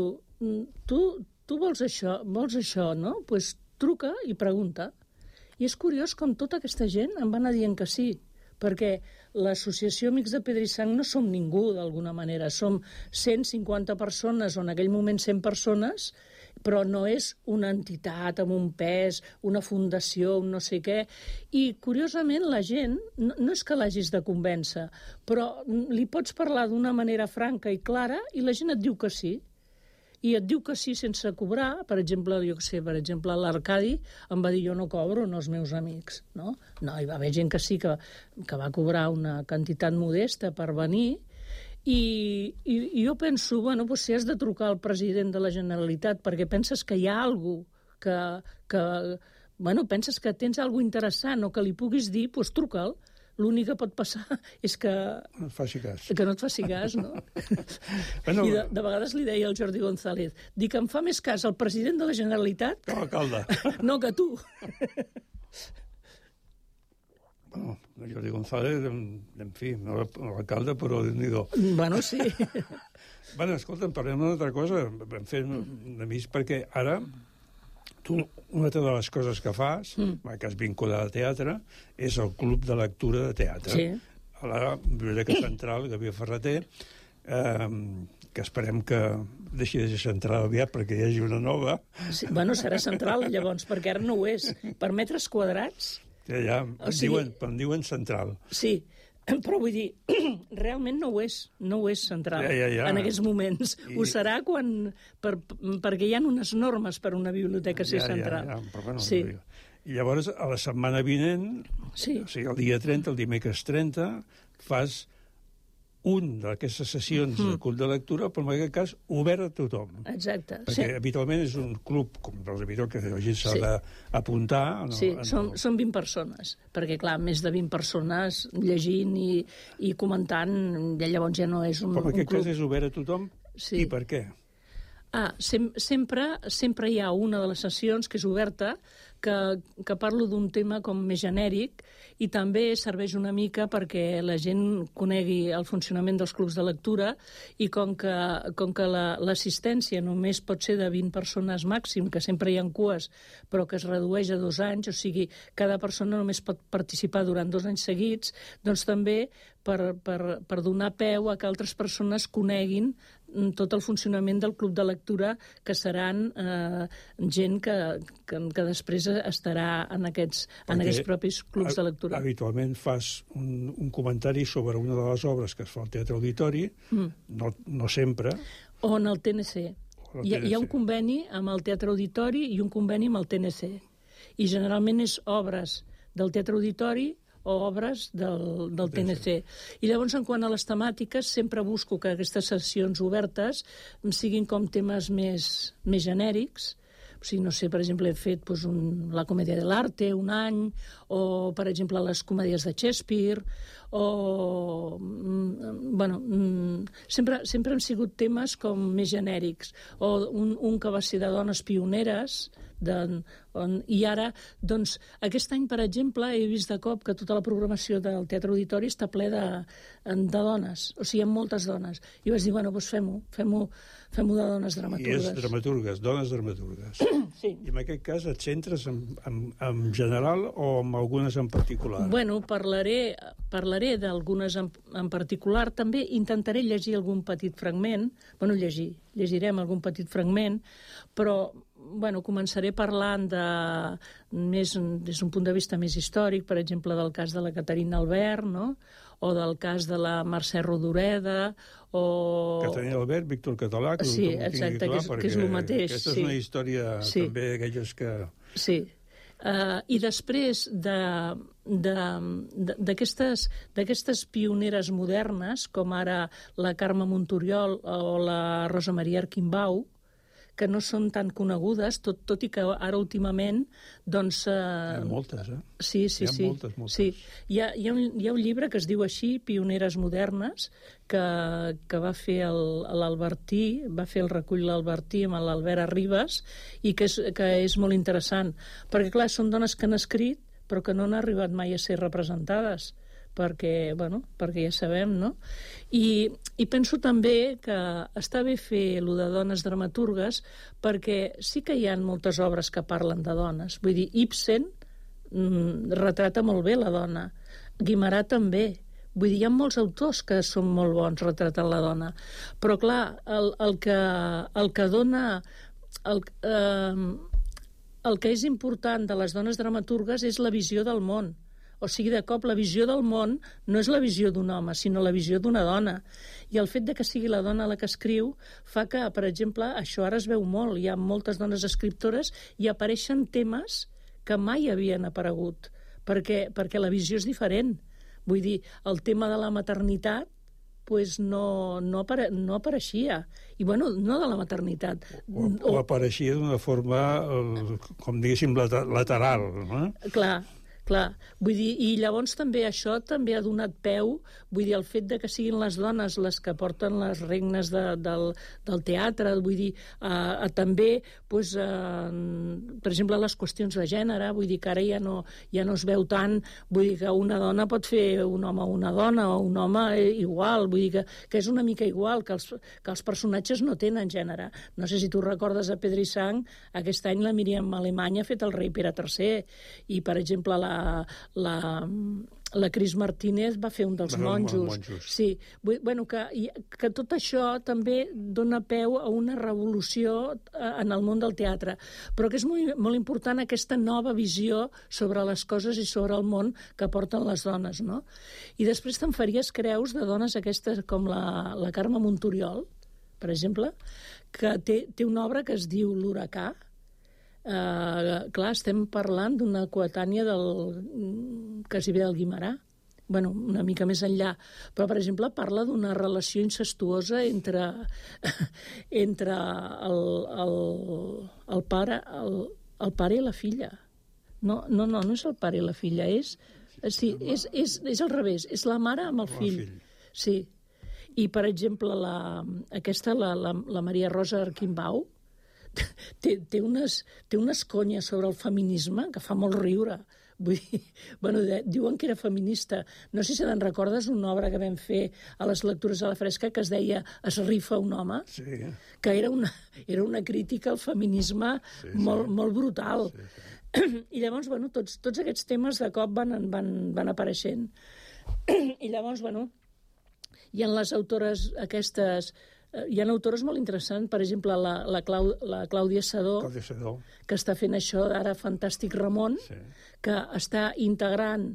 tu, tu vols això, vols això, no? Doncs pues truca i pregunta. I és curiós com tota aquesta gent em va anar dient que sí, perquè l'associació Amics de Pedra i Sang no som ningú, d'alguna manera. Som cent cinquanta persones, o en aquell moment cent persones, però no és una entitat amb un pes, una fundació, un no sé què. I, curiosament, la gent, no, no és que l'hagis de convèncer, però li pots parlar d'una manera franca i clara i la gent et diu que sí. I et diu que sí sense cobrar. Per exemple, jo què sé, per exemple, l'Arcadi em va dir jo no cobro, no els meus amics, no? No, hi va haver gent que sí que, que va cobrar una quantitat modesta per venir. I, i, i jo penso, bueno, doncs si has de trucar al president de la Generalitat perquè penses que hi ha alguna cosa que, que, bueno, penses que tens alguna cosa interessant o que li puguis dir, doncs truca'l. L'únic que pot passar és que... No et faci cas. Que no et faci cas, no? bueno, I de, de vegades li deia al Jordi González, dic que em fa més cas el president de la Generalitat... Que l'alcalde. No, que tu. Bueno, el Jordi González, en, en fi, no l'alcalde, però déu-n'hi-do. Bueno, sí. Bueno, escolta'm, parlem d'una altra cosa. Vam fer una mica perquè ara... Tu, una de les coses que fas, mm. que has vinculat al teatre, és el Club de Lectura de Teatre. Sí. A la Biblioteca Central, Gabriel Ferreter, eh, que esperem que deixi de ser central aviat perquè hi hagi una nova. Sí, bueno, serà central, llavors, perquè ara no ho és. Per metres quadrats... Ja, ja, em, o sigui, diuen, em diuen central. Sí, però vull dir, realment no ho és, no ho és central ja, ja, ja. en aquests moments. I... Ho serà quan, per, perquè hi ha unes normes per a una biblioteca ser ja, central. Ja, ja, però bueno, sí. no I llavors, a la setmana vinent, sí. o sigui, el dia trenta, el dimecres trenta, fas un d'aquestes sessions mm. del club de lectura, però en aquest cas obert a tothom. Exacte. Perquè sí. habitualment és un club, com els habituals, que la gent s'ha sí. d'apuntar. No, sí, no. Són, són vint persones, perquè clar, més de vint persones llegint i, i comentant, ja llavors ja no és un, però en aquest un club. cas és obert a tothom, sí. i per què? Ah, sem sempre, sempre hi ha una de les sessions que és oberta, que, que parlo d'un tema com més genèric i també serveix una mica perquè la gent conegui el funcionament dels clubs de lectura i com que, com que l'assistència la, només pot ser de vint persones màxim, que sempre hi ha cues, però que es redueix a dos anys, o sigui, cada persona només pot participar durant dos anys seguits, doncs també per, per, per donar peu a que altres persones coneguin tot el funcionament del club de lectura, que seran eh, gent que, que, que després estarà en aquests, en aquests propis clubs de lectura. Habitualment fas un, un comentari sobre una de les obres que es fa al Teatre Auditori, mm. no, no sempre. O en el T N C. Hi ha, hi ha un conveni amb el Teatre Auditori i un conveni amb el T N C. I generalment és obres del Teatre Auditori o obres del, del T N C. I llavors, en quant a les temàtiques, sempre busco que aquestes sessions obertes siguin com temes més, més genèrics. O sigui, no sé, per exemple, he fet doncs, un, la comèdia de l'arte un any, o, per exemple, les comèdies de Shakespeare, o... Mm, bueno, mm, sempre, sempre han sigut temes com més genèrics. O un, un que va ser de dones pioneres, de, on, i ara, doncs, aquest any, per exemple, he vist de cop que tota la programació del Teatre Auditori està ple de, de dones, o sigui, hi ha moltes dones. I vaig dir, bueno, doncs fem-ho, fem-ho fem-ho de dones dramaturgues. I és dramaturgues, dones dramaturgues. Sí. I en aquest cas et centres en, en, en general o en algunes en particular? Bueno, parlaré, parlaré d'algunes en, en particular. També intentaré llegir algun petit fragment, bueno, llegir, llegirem algun petit fragment, però bueno, començaré parlant de, més, des d'un punt de vista més històric, per exemple, del cas de la Caterina Albert, no? O del cas de la Mercè Rodoreda, o... Caterina Albert, Víctor Català, que sí, exacte, clar, que, és, que és el mateix. Aquesta sí. és una història sí. també d'aquelles que... Sí. Uh, I després d'aquestes d'aquestes pioneres modernes, com ara la Carme Montoriol o la Rosa Maria Arquimbau, que no són tan conegudes, tot, tot i que ara últimament, doncs... Eh... Hi ha moltes, eh? Sí, sí, hi ha sí. moltes, moltes. Sí. Hi ha, hi, ha un, hi ha un llibre que es diu així, Pioneres modernes, que, que va fer l'Albertí, va fer el recull l'Albertí amb l'Albert Arribas, i que és, que és molt interessant. Perquè, clar, són dones que han escrit, però que no han arribat mai a ser representades, perquè, bueno, perquè ja sabem, no? I, i penso també que està bé fer allò de dones dramaturgues, perquè sí que hi ha moltes obres que parlen de dones. Vull dir, Ibsen mm, retrata molt bé la dona, Guimarà també. Vull dir, hi ha molts autors que són molt bons retratant la dona. Però, clar, el, el, que, el que dona... El, eh, el que és important de les dones dramaturgues és la visió del món. O sigui, de cop, la visió del món no és la visió d'un home, sinó la visió d'una dona. I el fet de que sigui la dona la que escriu fa que, per exemple, això ara es veu molt. Hi ha moltes dones escriptores i apareixen temes que mai havien aparegut, perquè, perquè la visió és diferent. Vull dir, el tema de la maternitat pues no, no, apare, no apareixia. I, bueno, no de la maternitat. O, o apareixia d'una forma, com diguéssim, lateral, no? Clar. Clar, vull dir, i llavors també això també ha donat peu, vull dir, el fet de que siguin les dones les que porten les regnes de, del, del teatre, vull dir, a, a també, pues, a, per exemple, les qüestions de gènere, vull dir que ara ja no, ja no es veu tant, vull dir que una dona pot fer un home o una dona, o un home igual, vull dir que, que és una mica igual, que els, que els personatges no tenen gènere. No sé si tu recordes a Pedra i Sang, aquest any la Míriam Alemany ha fet el rei Pere tercer, i, per exemple, la La, la Cris Martínez va fer un dels monjos. monjos. Sí, bueno, que, que tot això també dona peu a una revolució en el món del teatre, però que és molt, molt important aquesta nova visió sobre les coses i sobre el món que porten les dones, no? I després te'n faries creus de dones aquestes com la, la Carme Montoriol, per exemple, que té, té una obra que es diu L'Huracà. Uh, clar, estem parlant d'una coetània del quasi bé del Guimarà, bueno, una mica més enllà, però, per exemple, parla d'una relació incestuosa entre, entre el, el, el, pare, el, el pare i la filla. No, no, no, no és el pare i la filla, és, sí, és, és, és al revés, és la mare amb el fill. Sí. I, per exemple, la, aquesta, la, la, la Maria Rosa Arquimbau, té, té, unes, té unes conyes sobre el feminisme que fa molt riure. Vull dir, bueno, de, diuen que era feminista. No sé si te'n recordes una obra que vam fer a les lectures a la fresca que es deia Es rifa un home, sí. que era una, era una crítica al feminisme sí, sí. Molt, molt brutal. Sí, sí. I llavors, bueno, tots, tots aquests temes de cop van, van, van apareixent. I llavors, bueno, hi ha les autores aquestes... Hi ha autores molt interessants, per exemple, la, la, Clau, la Clàudia Sedó, Clàudia Sedó, que està fent això ara Fantàstic Ramon, sí. que està integrant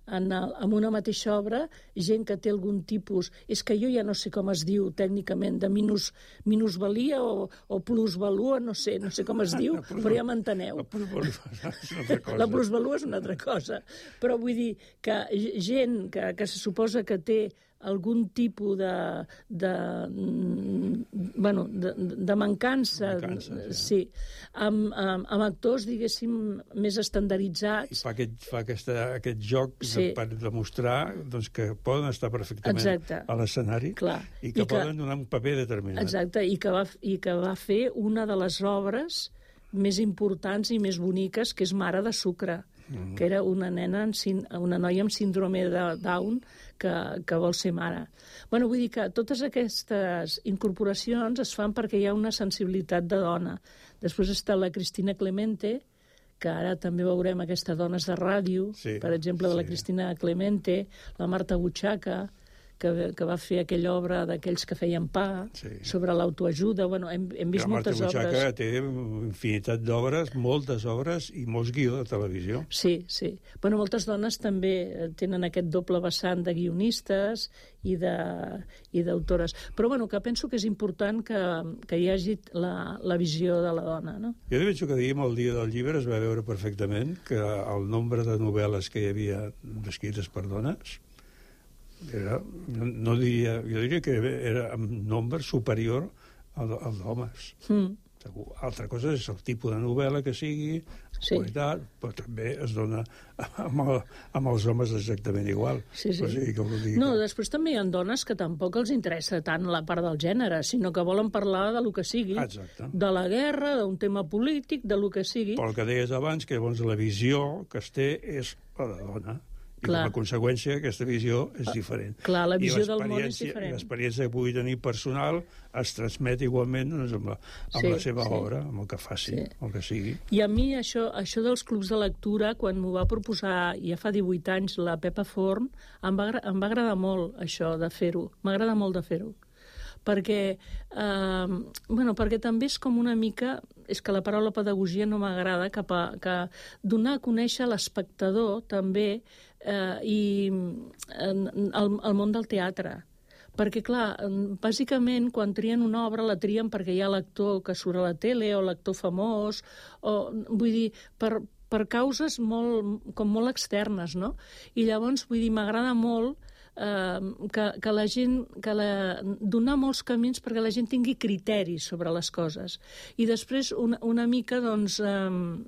en, el, en una mateixa obra gent que té algun tipus... És que jo ja no sé com es diu tècnicament, de minus, minusvalia o, o plusvalua, no sé, no sé com es diu, però ja m'enteneu. La plusvalua és una altra cosa. La plusvalua és una altra cosa. Però vull dir que gent que, que se suposa que té algun tipus de, de, bueno, de, de mancança, mancança sí, sí amb, amb, amb actors, diguéssim, més estandarditzats. I fa aquest, fa aquesta, aquest joc sí. de, per demostrar doncs, que poden estar perfectament exacte. A l'escenari i que I poden que, donar un paper determinat. Exacte, i que, va, i que va fer una de les obres més importants i més boniques, que és Mare de Sucre, mm. que era una nena, una noia amb síndrome de Down que, que vol ser mare. Bueno, vull dir que totes aquestes incorporacions es fan perquè hi ha una sensibilitat de dona. Després està la Cristina Clemente, que ara també veurem aquestes dones de ràdio, sí, per exemple, de la sí. Cristina Clemente, la Marta Butxaca, que, que va fer aquella obra d'aquells que feien pa, sí. sobre l'autoajuda. Bueno, hem, hem vist moltes obres. La Marta Butxaca té infinitat d'obres, moltes obres i molts guió de televisió. Sí, sí. Bueno, moltes dones també tenen aquest doble vessant de guionistes i d'autores. Però bueno, que penso que és important que, que hi hagi la, la visió de la dona, no? Jo penso que diguem el dia del llibre es va veure perfectament que el nombre de novel·les que hi havia escrites per dones era, no, no diria, jo diria que era en nombre superior al, al d'homes. Mm. Altra cosa és el tipus de novel·la que sigui, sí. qualitat, però també es dona amb, el, amb els homes exactament igual. Sí, sí. O sigui, que dir no, que... després també hi ha dones que tampoc els interessa tant la part del gènere, sinó que volen parlar de lo que sigui. Exacte. De la guerra, d'un tema polític, de lo que sigui. Però el que deies abans, que llavors la visió que es té és la de dona. I clar. Com a conseqüència aquesta visió és diferent. Clar, la visió del món és diferent. I l'experiència que pugui tenir personal es transmet igualment doncs, amb, la, amb sí, la seva sí. obra, amb el que faci, sí. el que sigui. I a mi això, això dels clubs de lectura, quan m'ho va proposar ja fa divuit anys la Pepa Forn, em va, em va agradar molt això de fer-ho. M'agrada molt de fer-ho. Perquè, eh, bueno, perquè també és com una mica, és que la paraula pedagogia no m'agrada, cap a que donar a conèixer a l'espectador també eh, i el, el món del teatre. Perquè, clar, bàsicament, quan trien una obra, la trien perquè hi ha l'actor que surt a la tele o l'actor famós, o, vull dir, per, per causes molt, com molt externes, no? I llavors, vull dir, m'agrada molt Uh, que, que la gent, que la, donar molts camins perquè la gent tingui criteris sobre les coses. I després una, una mica, doncs, um,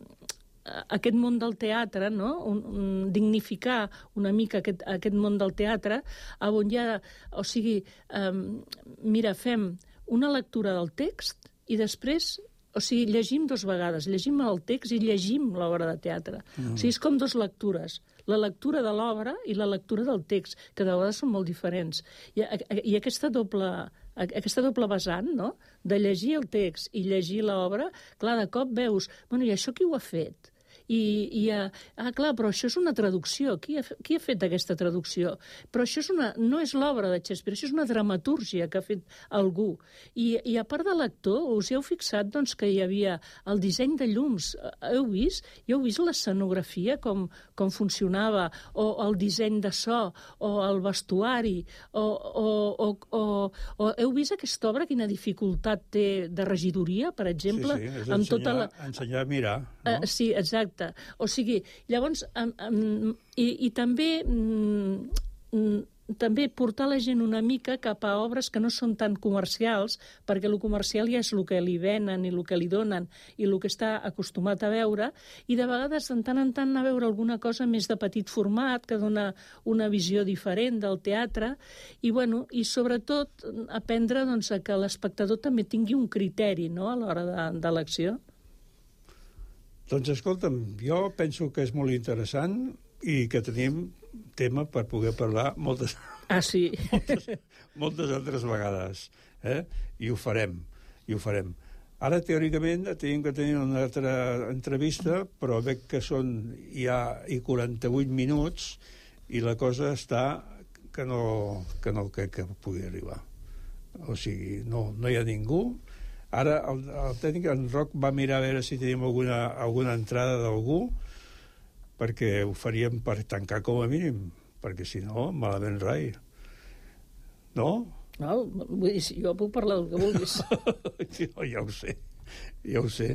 aquest món del teatre, no? un, un, dignificar una mica aquest, aquest món del teatre, on hi ha, o sigui, um, mira, fem una lectura del text i després, o sigui, llegim dos vegades, llegim el text i llegim l'obra de teatre. Mm. O sigui, és com dos lectures. La lectura de l'obra i la lectura del text, que de vegades són molt diferents. I, i aquesta, doble, aquesta doble vessant, no?, de llegir el text i llegir l'obra, clar, de cop veus, bueno, i això qui ho ha fet? I, i ah, clar, però això és una traducció. Qui ha, qui ha fet aquesta traducció? Però això és una, no és l'obra de Shakespeare, això és una dramatúrgia que ha fet algú. I, i a part de l'actor, us hi heu fixat doncs, que hi havia el disseny de llums. Heu vist? Hi heu vist l'escenografia, com, com funcionava, o el disseny de so, o el vestuari, o, o, o, o, o heu vist aquesta obra, quina dificultat té de regidoria, per exemple? Sí, sí, és ensenyar, tota la... ensenyar a mirar. No? Uh, sí, exacte. O sigui, llavors, um, um, i, i també um, també portar la gent una mica cap a obres que no són tan comercials, perquè el comercial ja és el que li venen i el que li donen i el que està acostumat a veure, i de vegades, de tant en tant, a veure alguna cosa més de petit format, que dona una visió diferent del teatre, i, bueno, i sobretot aprendre doncs, a que l'espectador també tingui un criteri, no?, a l'hora de, de l'acció. Doncs escolta'm, jo penso que és molt interessant i que tenim tema per poder parlar moltes, ah, sí. moltes, moltes altres vegades. Eh? I ho farem, i ho farem. Ara, teòricament, tenim que tenir una altra entrevista, però veig que són ja i quaranta-vuit minuts i la cosa està que no, que no crec que pugui arribar. O sigui, no, no hi ha ningú. Ara el, el tècnic, en Roc, va mirar a veure si tenim alguna, alguna entrada d'algú, perquè ho faríem per tancar com a mínim, perquè si no, malament rai. No? No, vull dir, jo puc parlar del que vulguis. No, ja ho sé, ja ho sé.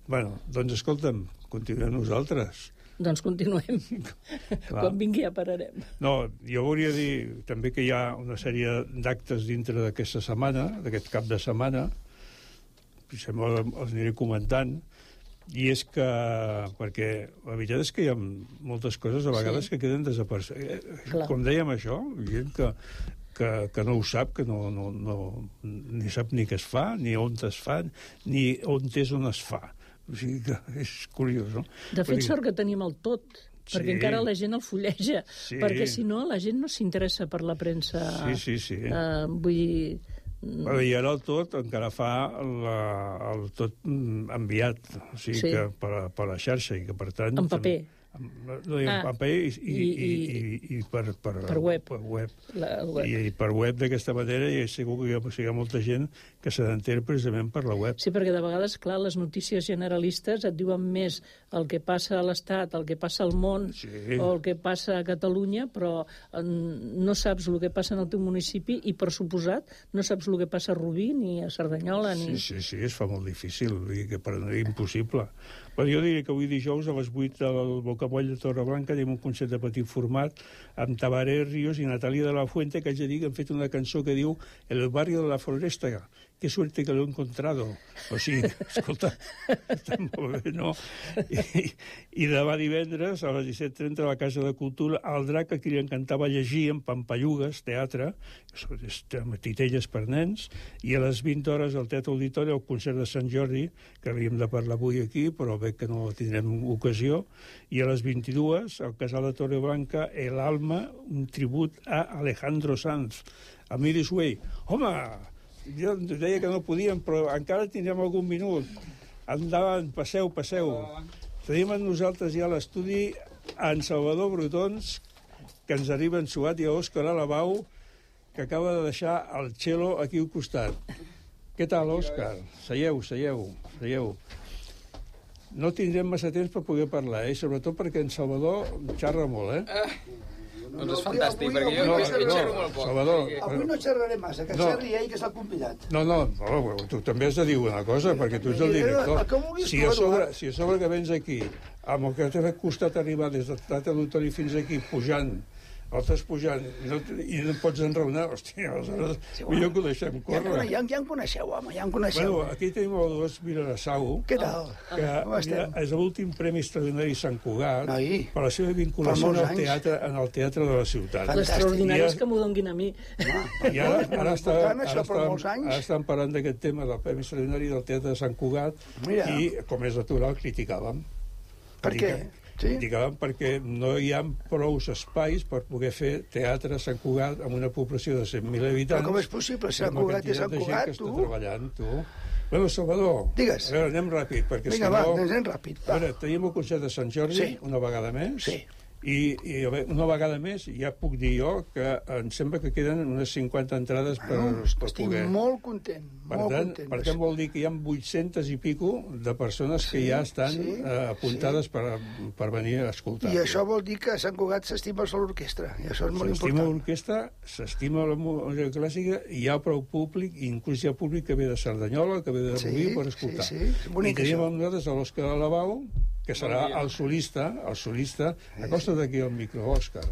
Bueno, doncs escolta'm, continuem nosaltres. Doncs continuem. Quan vingui ja pararem. No, jo volia dir també que hi ha una sèrie d'actes dintre d'aquesta setmana, d'aquest cap de setmana, sembla els aniré comentant, i és que, perquè la veritat és que hi ha moltes coses a vegades sí. que queden desapercebudes. Com dèiem això, gent que, que, que no ho sap, que no, no, no, ni sap ni què es fa, ni on es fa, ni on és on es fa. O sigui que és curiós, no? De fet, sort que tenim el tot, perquè sí. encara la gent el fulleja, sí. perquè si no la gent no s'interessa per la premsa. Sí, sí, sí. Uh, vull dir... Però i ara el tot encara fa la, el tot enviat, o sigui sí. que per, per la xarxa, i que per tant... En paper. No, no, ah, en paper i, i, i, i, i per, per, per web. Per web. La, web. I, I per web d'aquesta manera, i segur que hi ha, hi ha molta gent que se n'entén precisament per la web. Sí, perquè de vegades, clar, les notícies generalistes et diuen més el que passa a l'Estat, el que passa al món, sí. o el que passa a Catalunya, però no saps el que passa en el teu municipi i, per suposat, no saps el que passa a Rubí, ni a Cerdanyola, ni... Sí, sí, sí, es fa molt difícil, vull dir que per no és impossible. Però jo diria que avui dijous a les vuit al Bocamoll de Torreblanca tenim un concert de petit format amb Tabaré Ríos i Natàlia de la Fuente, que haig de dir que han fet una cançó que diu El barrio de la Floresta, qué suerte que lo he encontrado. O sigui, escolta, està molt bé, no? I, i demà divendres, a les disset trenta, a la Casa de Cultura, el Drac, a qui li encantava llegir en Pampallugues, teatre, titelles per nens, i a les vint hores al Teatre Auditori, el concert de Sant Jordi, que havíem de parlar avui aquí, però veig que no tindrem ocasió, i a les vint-i-dues, al Casal de Torreblanca, El Alma, un tribut a Alejandro Sanz, a Miris Way. Home, jo deia que no podíem, però encara tindrem algun minut. Endavant, passeu, passeu. Tenim amb nosaltres ja a l'estudi en Salvador Brotons, que ens arriba ensuat, i a Òscar Alabau, que acaba de deixar el cello aquí al costat. Què tal, Òscar? Seieu, seieu, seieu. No tindrem massa temps per poder parlar, eh? Sobretot perquè en Salvador xerra molt, eh? eh. Doncs és fantàstic, perquè jo no, no, xerro molt poc. Salvador, avui no xerraré massa, que no. xerri ell, que s'ha convidat. No, no, no, tu també has de dir una cosa, perquè tu ets el director. Si a sobre, si a sobre que vens aquí, amb el que t'ha costat arribar des de Teatre Auditori fins aquí, pujant, el estàs pujant i no, i no pots enraonar, hòstia, aleshores sí, bueno, millor que ho deixem córrer. Ja, ja, ja en coneixeu, home, ja en coneixeu. Bueno, aquí tenim el dos Vilarassau, què tal? que ja és l'últim Premi Extraordinari Sant Cugat, Ai, per la seva vinculació en el, teatre, en el teatre de la ciutat. L'extraordinari és que m'ho donguin a mi. I ara, ara, està, ara, estan, ara estan parlant d'aquest tema del Premi Extraordinari del Teatre de Sant Cugat. Mira. I, com és natural, criticàvem. Per què? Sí? Criticàvem perquè no hi ha prou espais per poder fer teatre a Sant Cugat amb una població de cent mil habitants. Però com és possible? Sant Cugat i Sant Cugat, tu? Treballant, tu. Bueno, Salvador, digues. A veure, anem ràpid, perquè Vinga, si va, no... anem ràpid. Va. A veure, tenim el concert de Sant Jordi, sí. una vegada més. Sí. I, i una vegada més ja puc dir jo que em sembla que queden unes cinquanta entrades per, bueno, per estic poder. Estic molt content, per molt tant, content. Per tant, vol dir que hi ha vuit-centes i pico de persones sí, que ja estan sí, eh, apuntades sí. per, per venir a escoltar. I això vol dir que a Sant Cugat s'estima l'orquestra, i això és molt important. S'estima l'orquestra, s'estima la música clàssica, i hi ha prou públic, i inclús hi ha públic que ve de Cerdanyola, que ve de Rubí, sí, per escoltar. Sí, sí. I tenim amb nosaltres a l'Òscar Alabau, que serà el solista, el solista, acosta't aquí al micro, Òscar.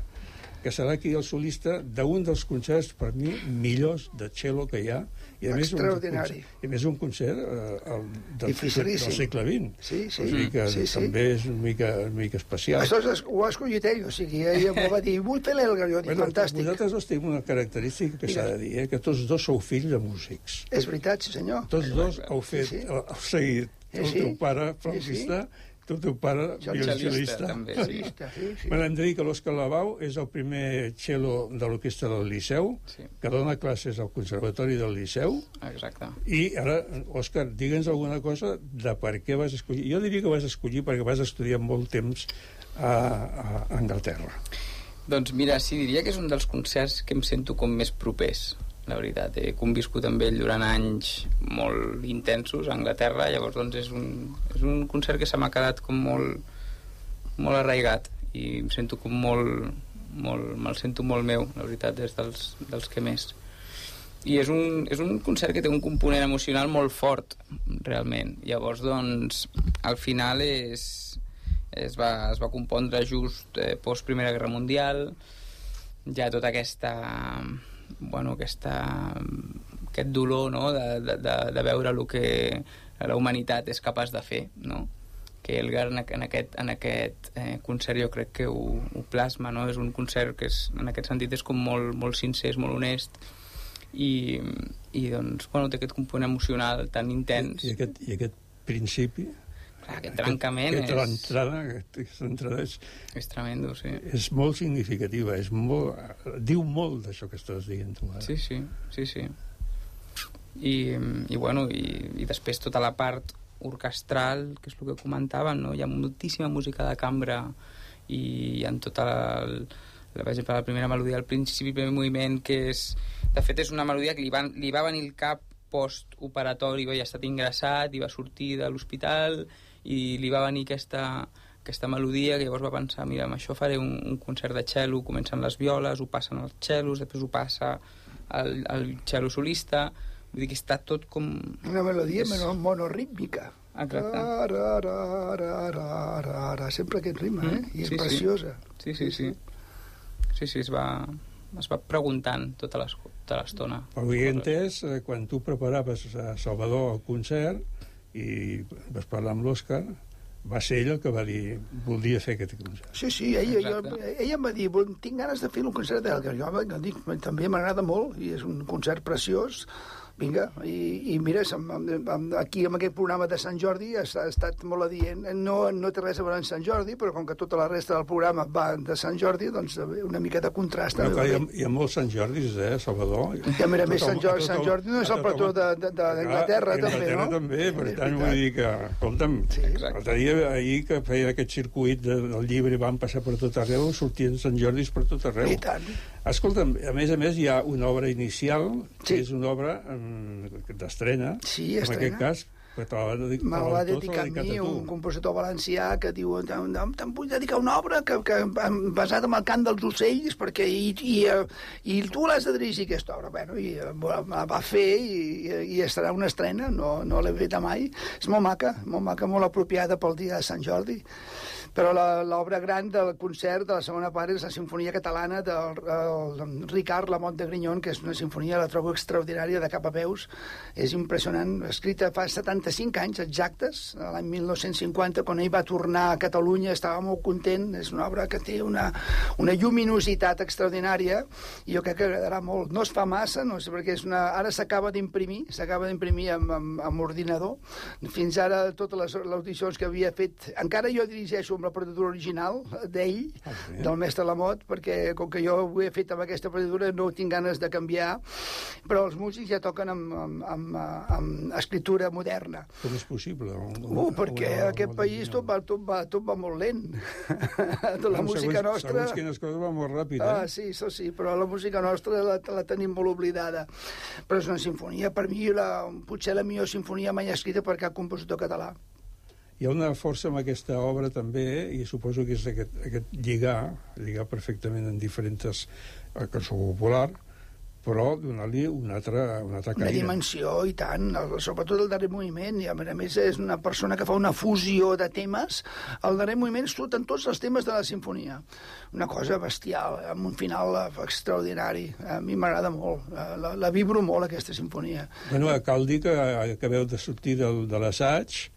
que serà aquí el solista d'un dels concerts, per mi, millors de cello que hi ha. I a més, extraordinari. Un, I a més un concert eh, el, del, del segle vint. Sí, sí. O sigui que sí, sí. també és una mica, una mica especial. Això és, ho ha escollit ell, o sigui, ell em va dir, vull fer l'Elgar, jo dic, bueno, fantàstic. Vosaltres dos teniu una característica que s'ha de dir, eh, que tots dos sou fills de músics. És veritat, sí senyor. Tots dos heu fet, sí, sí. heu seguit Sí, el sí. teu pare flautista, sí, sí. el teu pare violoncel·lista. també, sí. Sí, sí. Me l'hem de dir que l'Òscar Lavau és el primer cello de l'orquestra del Liceu, Sí. que dona classes al Conservatori del Liceu, Exacte. i ara, Òscar, digue'ns alguna cosa de per què vas escollir. Jo diria que vas escollir perquè vas estudiar molt temps a, a Anglaterra. Doncs mira, sí, diria que és un dels concerts que em sento com més propers, la veritat. He conviscut amb ell durant anys molt intensos a Anglaterra, llavors doncs és un, és un concert que se m'ha quedat com molt, molt arraigat i em sento com molt, molt me'l sento molt meu, la veritat, és dels, dels que més. I és un, és un concert que té un component emocional molt fort, realment. Llavors, doncs, al final és, es, va, es va compondre just eh, post Primera Guerra Mundial, ja tota aquesta... bueno, aquesta, aquest dolor, no?, de, de, de veure el que la humanitat és capaç de fer, no? Que Elgar en, en aquest, en aquest eh, concert jo crec que ho, ho plasma, no? És un concert que és, en aquest sentit és com molt, molt sincer, és molt honest i, i doncs, bueno, té aquest component emocional tan intens. I, i, aquest, i aquest principi... Clar, aquest trencament aquest, és... L'entrada, aquesta entrada és... És tremendo, sí. És molt significativa, és molt, diu molt d'això que estàs dient tu ara. Sí, sí, sí, sí. I, i bueno, i, i després tota la part orquestral, que és el que comentaven, no? Hi ha moltíssima música de cambra i hi ha tota la, la, per exemple, la primera melodia al principi, el primer moviment, que és... De fet, és una melodia que li va, li va venir el cap post-operatori, havia estat ingressat i va sortir de l'hospital i li va venir aquesta, aquesta melodia, que llavors va pensar, mira, amb això faré un, un concert de cello, comencen les violes, ho passen als cellos, després ho passa al, al cello solista, vull dir que està tot com... Una melodia és... monorítmica. Exacte. Ra, ra, ra, ra, ra, ra, sempre aquest ritme, eh? I és sí, preciosa. Sí, sí, sí. Sí, sí, es va, es va preguntant tota l'estona. Però ho he entès, eh, quan tu preparaves a Salvador el concert i vas parlar amb l'Òscar, va ser ell el que va dir voldria fer aquest concert. Sí, sí, ella, jo, ella em va dir tinc ganes de fer un concert d'Elgar. Jo dic, també m'agrada molt i és un concert preciós. Vinga, i, i mira, aquí amb aquest programa de Sant Jordi ha estat molt adient. No, no té res a veure amb Sant Jordi, però com que tota la resta del programa va de Sant Jordi, doncs una mica de contrast. No, clar, hi, ha, hi ha molts Sant Jordis, eh, Salvador? I a més a més, Sant Jordi, Sant Jordi no és el patró d'Anglaterra, també, no? Anglaterra també, per tant, vull dir que, escolta'm, l'altre dia, ahir que feia aquest circuit del llibre, van passar per tot arreu, sortien Sant Jordis per tot arreu. I tant. Escolta'm, a més a més, hi ha una obra inicial, que és una obra d'estrena, sí, en aquest cas, que te la va dedicar, me la va dedicar a mi, un compositor valencià que diu, te'n vull dedicar una obra que, que basada en el cant dels ocells, perquè i, i, i tu l'has de dirigir aquesta obra. Bueno, i la va fer i, i estarà una estrena, no, no l'he feta mai. És molt maca, molt maca, molt apropiada pel dia de Sant Jordi. Però l'obra gran del concert de la segona part és la Sinfonia Catalana del el Ricard Lamont de Grignon, que és una sinfonia, la trobo extraordinària de cap a peus. És impressionant, escrita fa setanta-cinc anys exactes, l'any mil nou-cents cinquanta, quan ell va tornar a Catalunya, estava molt content. És una obra que té una, una lluminositat extraordinària i jo crec que agradarà molt. No es fa massa, no sé, perquè és una, ara s'acaba d'imprimir, s'acaba d'imprimir amb, amb, amb ordinador. Fins ara totes les audicions que havia fet, encara jo dirigeixo la partitura original d'ell, ah, sí. del mestre Lamot, perquè com que jo ho he fet amb aquesta partitura no tinc ganes de canviar, però els músics ja toquen amb, amb, amb, amb escriptura moderna. Com és possible? Una, uh, perquè una, aquest una país tot va, tot, va, tot va molt lent. Tota la no, música segons, nostra... Segons quines coses va molt ràpid, eh? Ah, sí, això sí, però la música nostra la, la tenim molt oblidada. Però és una sinfonia, per mi, la, potser la millor sinfonia mai escrita per cap compositor català. Hi ha una força en aquesta obra també, i suposo que és aquest, aquest lligar, lligar perfectament en diferents... cançó popular, però donar-li una altra, una altra Una caire. dimensió, i tant, el- sobretot el darrer moviment, i a més a més és una persona que fa una fusió de temes. El darrer moviment surten tots els temes de la sinfonia. Una cosa bestial, amb un final eh, extraordinari. A mi m'agrada molt, eh, la, la vibro molt, aquesta sinfonia. Bueno, cal dir que acabeu de sortir del, de l'assaig,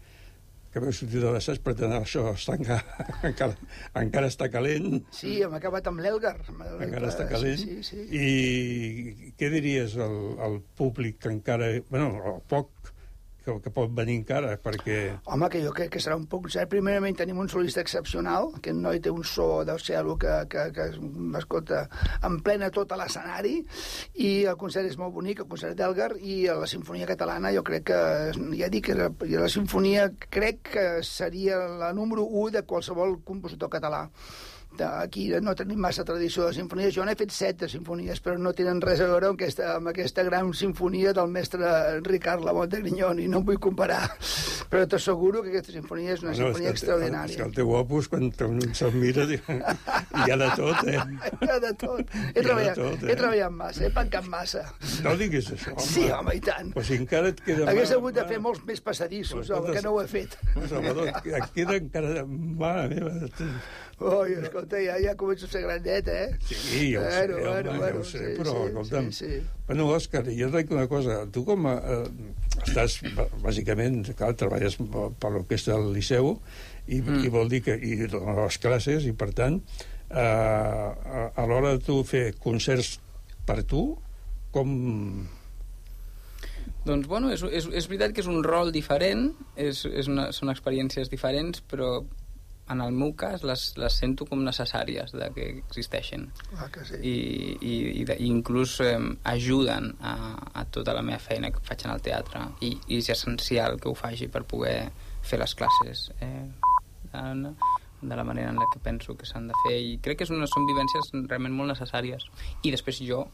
que veu sortir de l'assaig, per tant, això està encara, encara, encara està calent. Sí, hem acabat amb l'Elgar. Encara està calent. Sí, sí, sí. I què diries al, al públic que encara... Bueno, el poc que, que pot venir encara, perquè... Home, que jo crec que serà un poc cert. Primerament tenim un solista excepcional, que el noi té un so del cel que, que, que escolta, emplena tot a l'escenari, i el concert és molt bonic, el concert d'Elgar, i la Sinfonia Catalana jo crec que, ja dic, que la, la Sinfonia crec que seria la número u de qualsevol compositor català. Aquí no tenim massa tradició de sinfonies. Jo n'he fet set de sinfonies, però no tenen res a veure amb aquesta, amb aquesta gran sinfonia del mestre Ricard Lamotte de Grignon, i no em vull comparar. Però t'asseguro que aquesta sinfonia és una Bueno, sinfonia és que, extraordinària. És que el teu opus, quan un se'l mira, hi ha de tot, eh? Hi ha de tot. He, Hi ha de treballat, tot, eh? he treballat massa, he pencat massa. No diguis això, home. Sí, home, i tant. Pues si encara et queda... Hagués mà- hagut de fer molts més passadissos, Pues home, escolta, que no ho he fet. Pues, Salvador, et queda encara... Mare meva... Oi, escolta, ja, ja començo a ser grandet, eh? Sí, ja ho sé, Bueno, home, bueno, ja bueno, ho sé, sí, però, sí, escolta'm... sí, sí. Bueno, Òscar, jo et dic una cosa. Tu com a... Eh, estàs, bàsicament, clar, treballes per l'orquestra del Liceu, i, mm. i vol dir que... I dones les classes, i per tant, eh, a, a l'hora de tu fer concerts per tu, com... Doncs, bueno, és, és, és veritat que és un rol diferent, és, és una, són experiències diferents, però en el meu cas les, les sento com necessàries de que existeixen. Ah, que sí. I, i, i, de, i inclús eh, ajuden a, a tota la meva feina que faig en el teatre, i, i és essencial que ho faci per poder fer les classes eh, de, de la manera en la que penso que s'han de fer, i crec que és una, són vivències realment molt necessàries. I després jo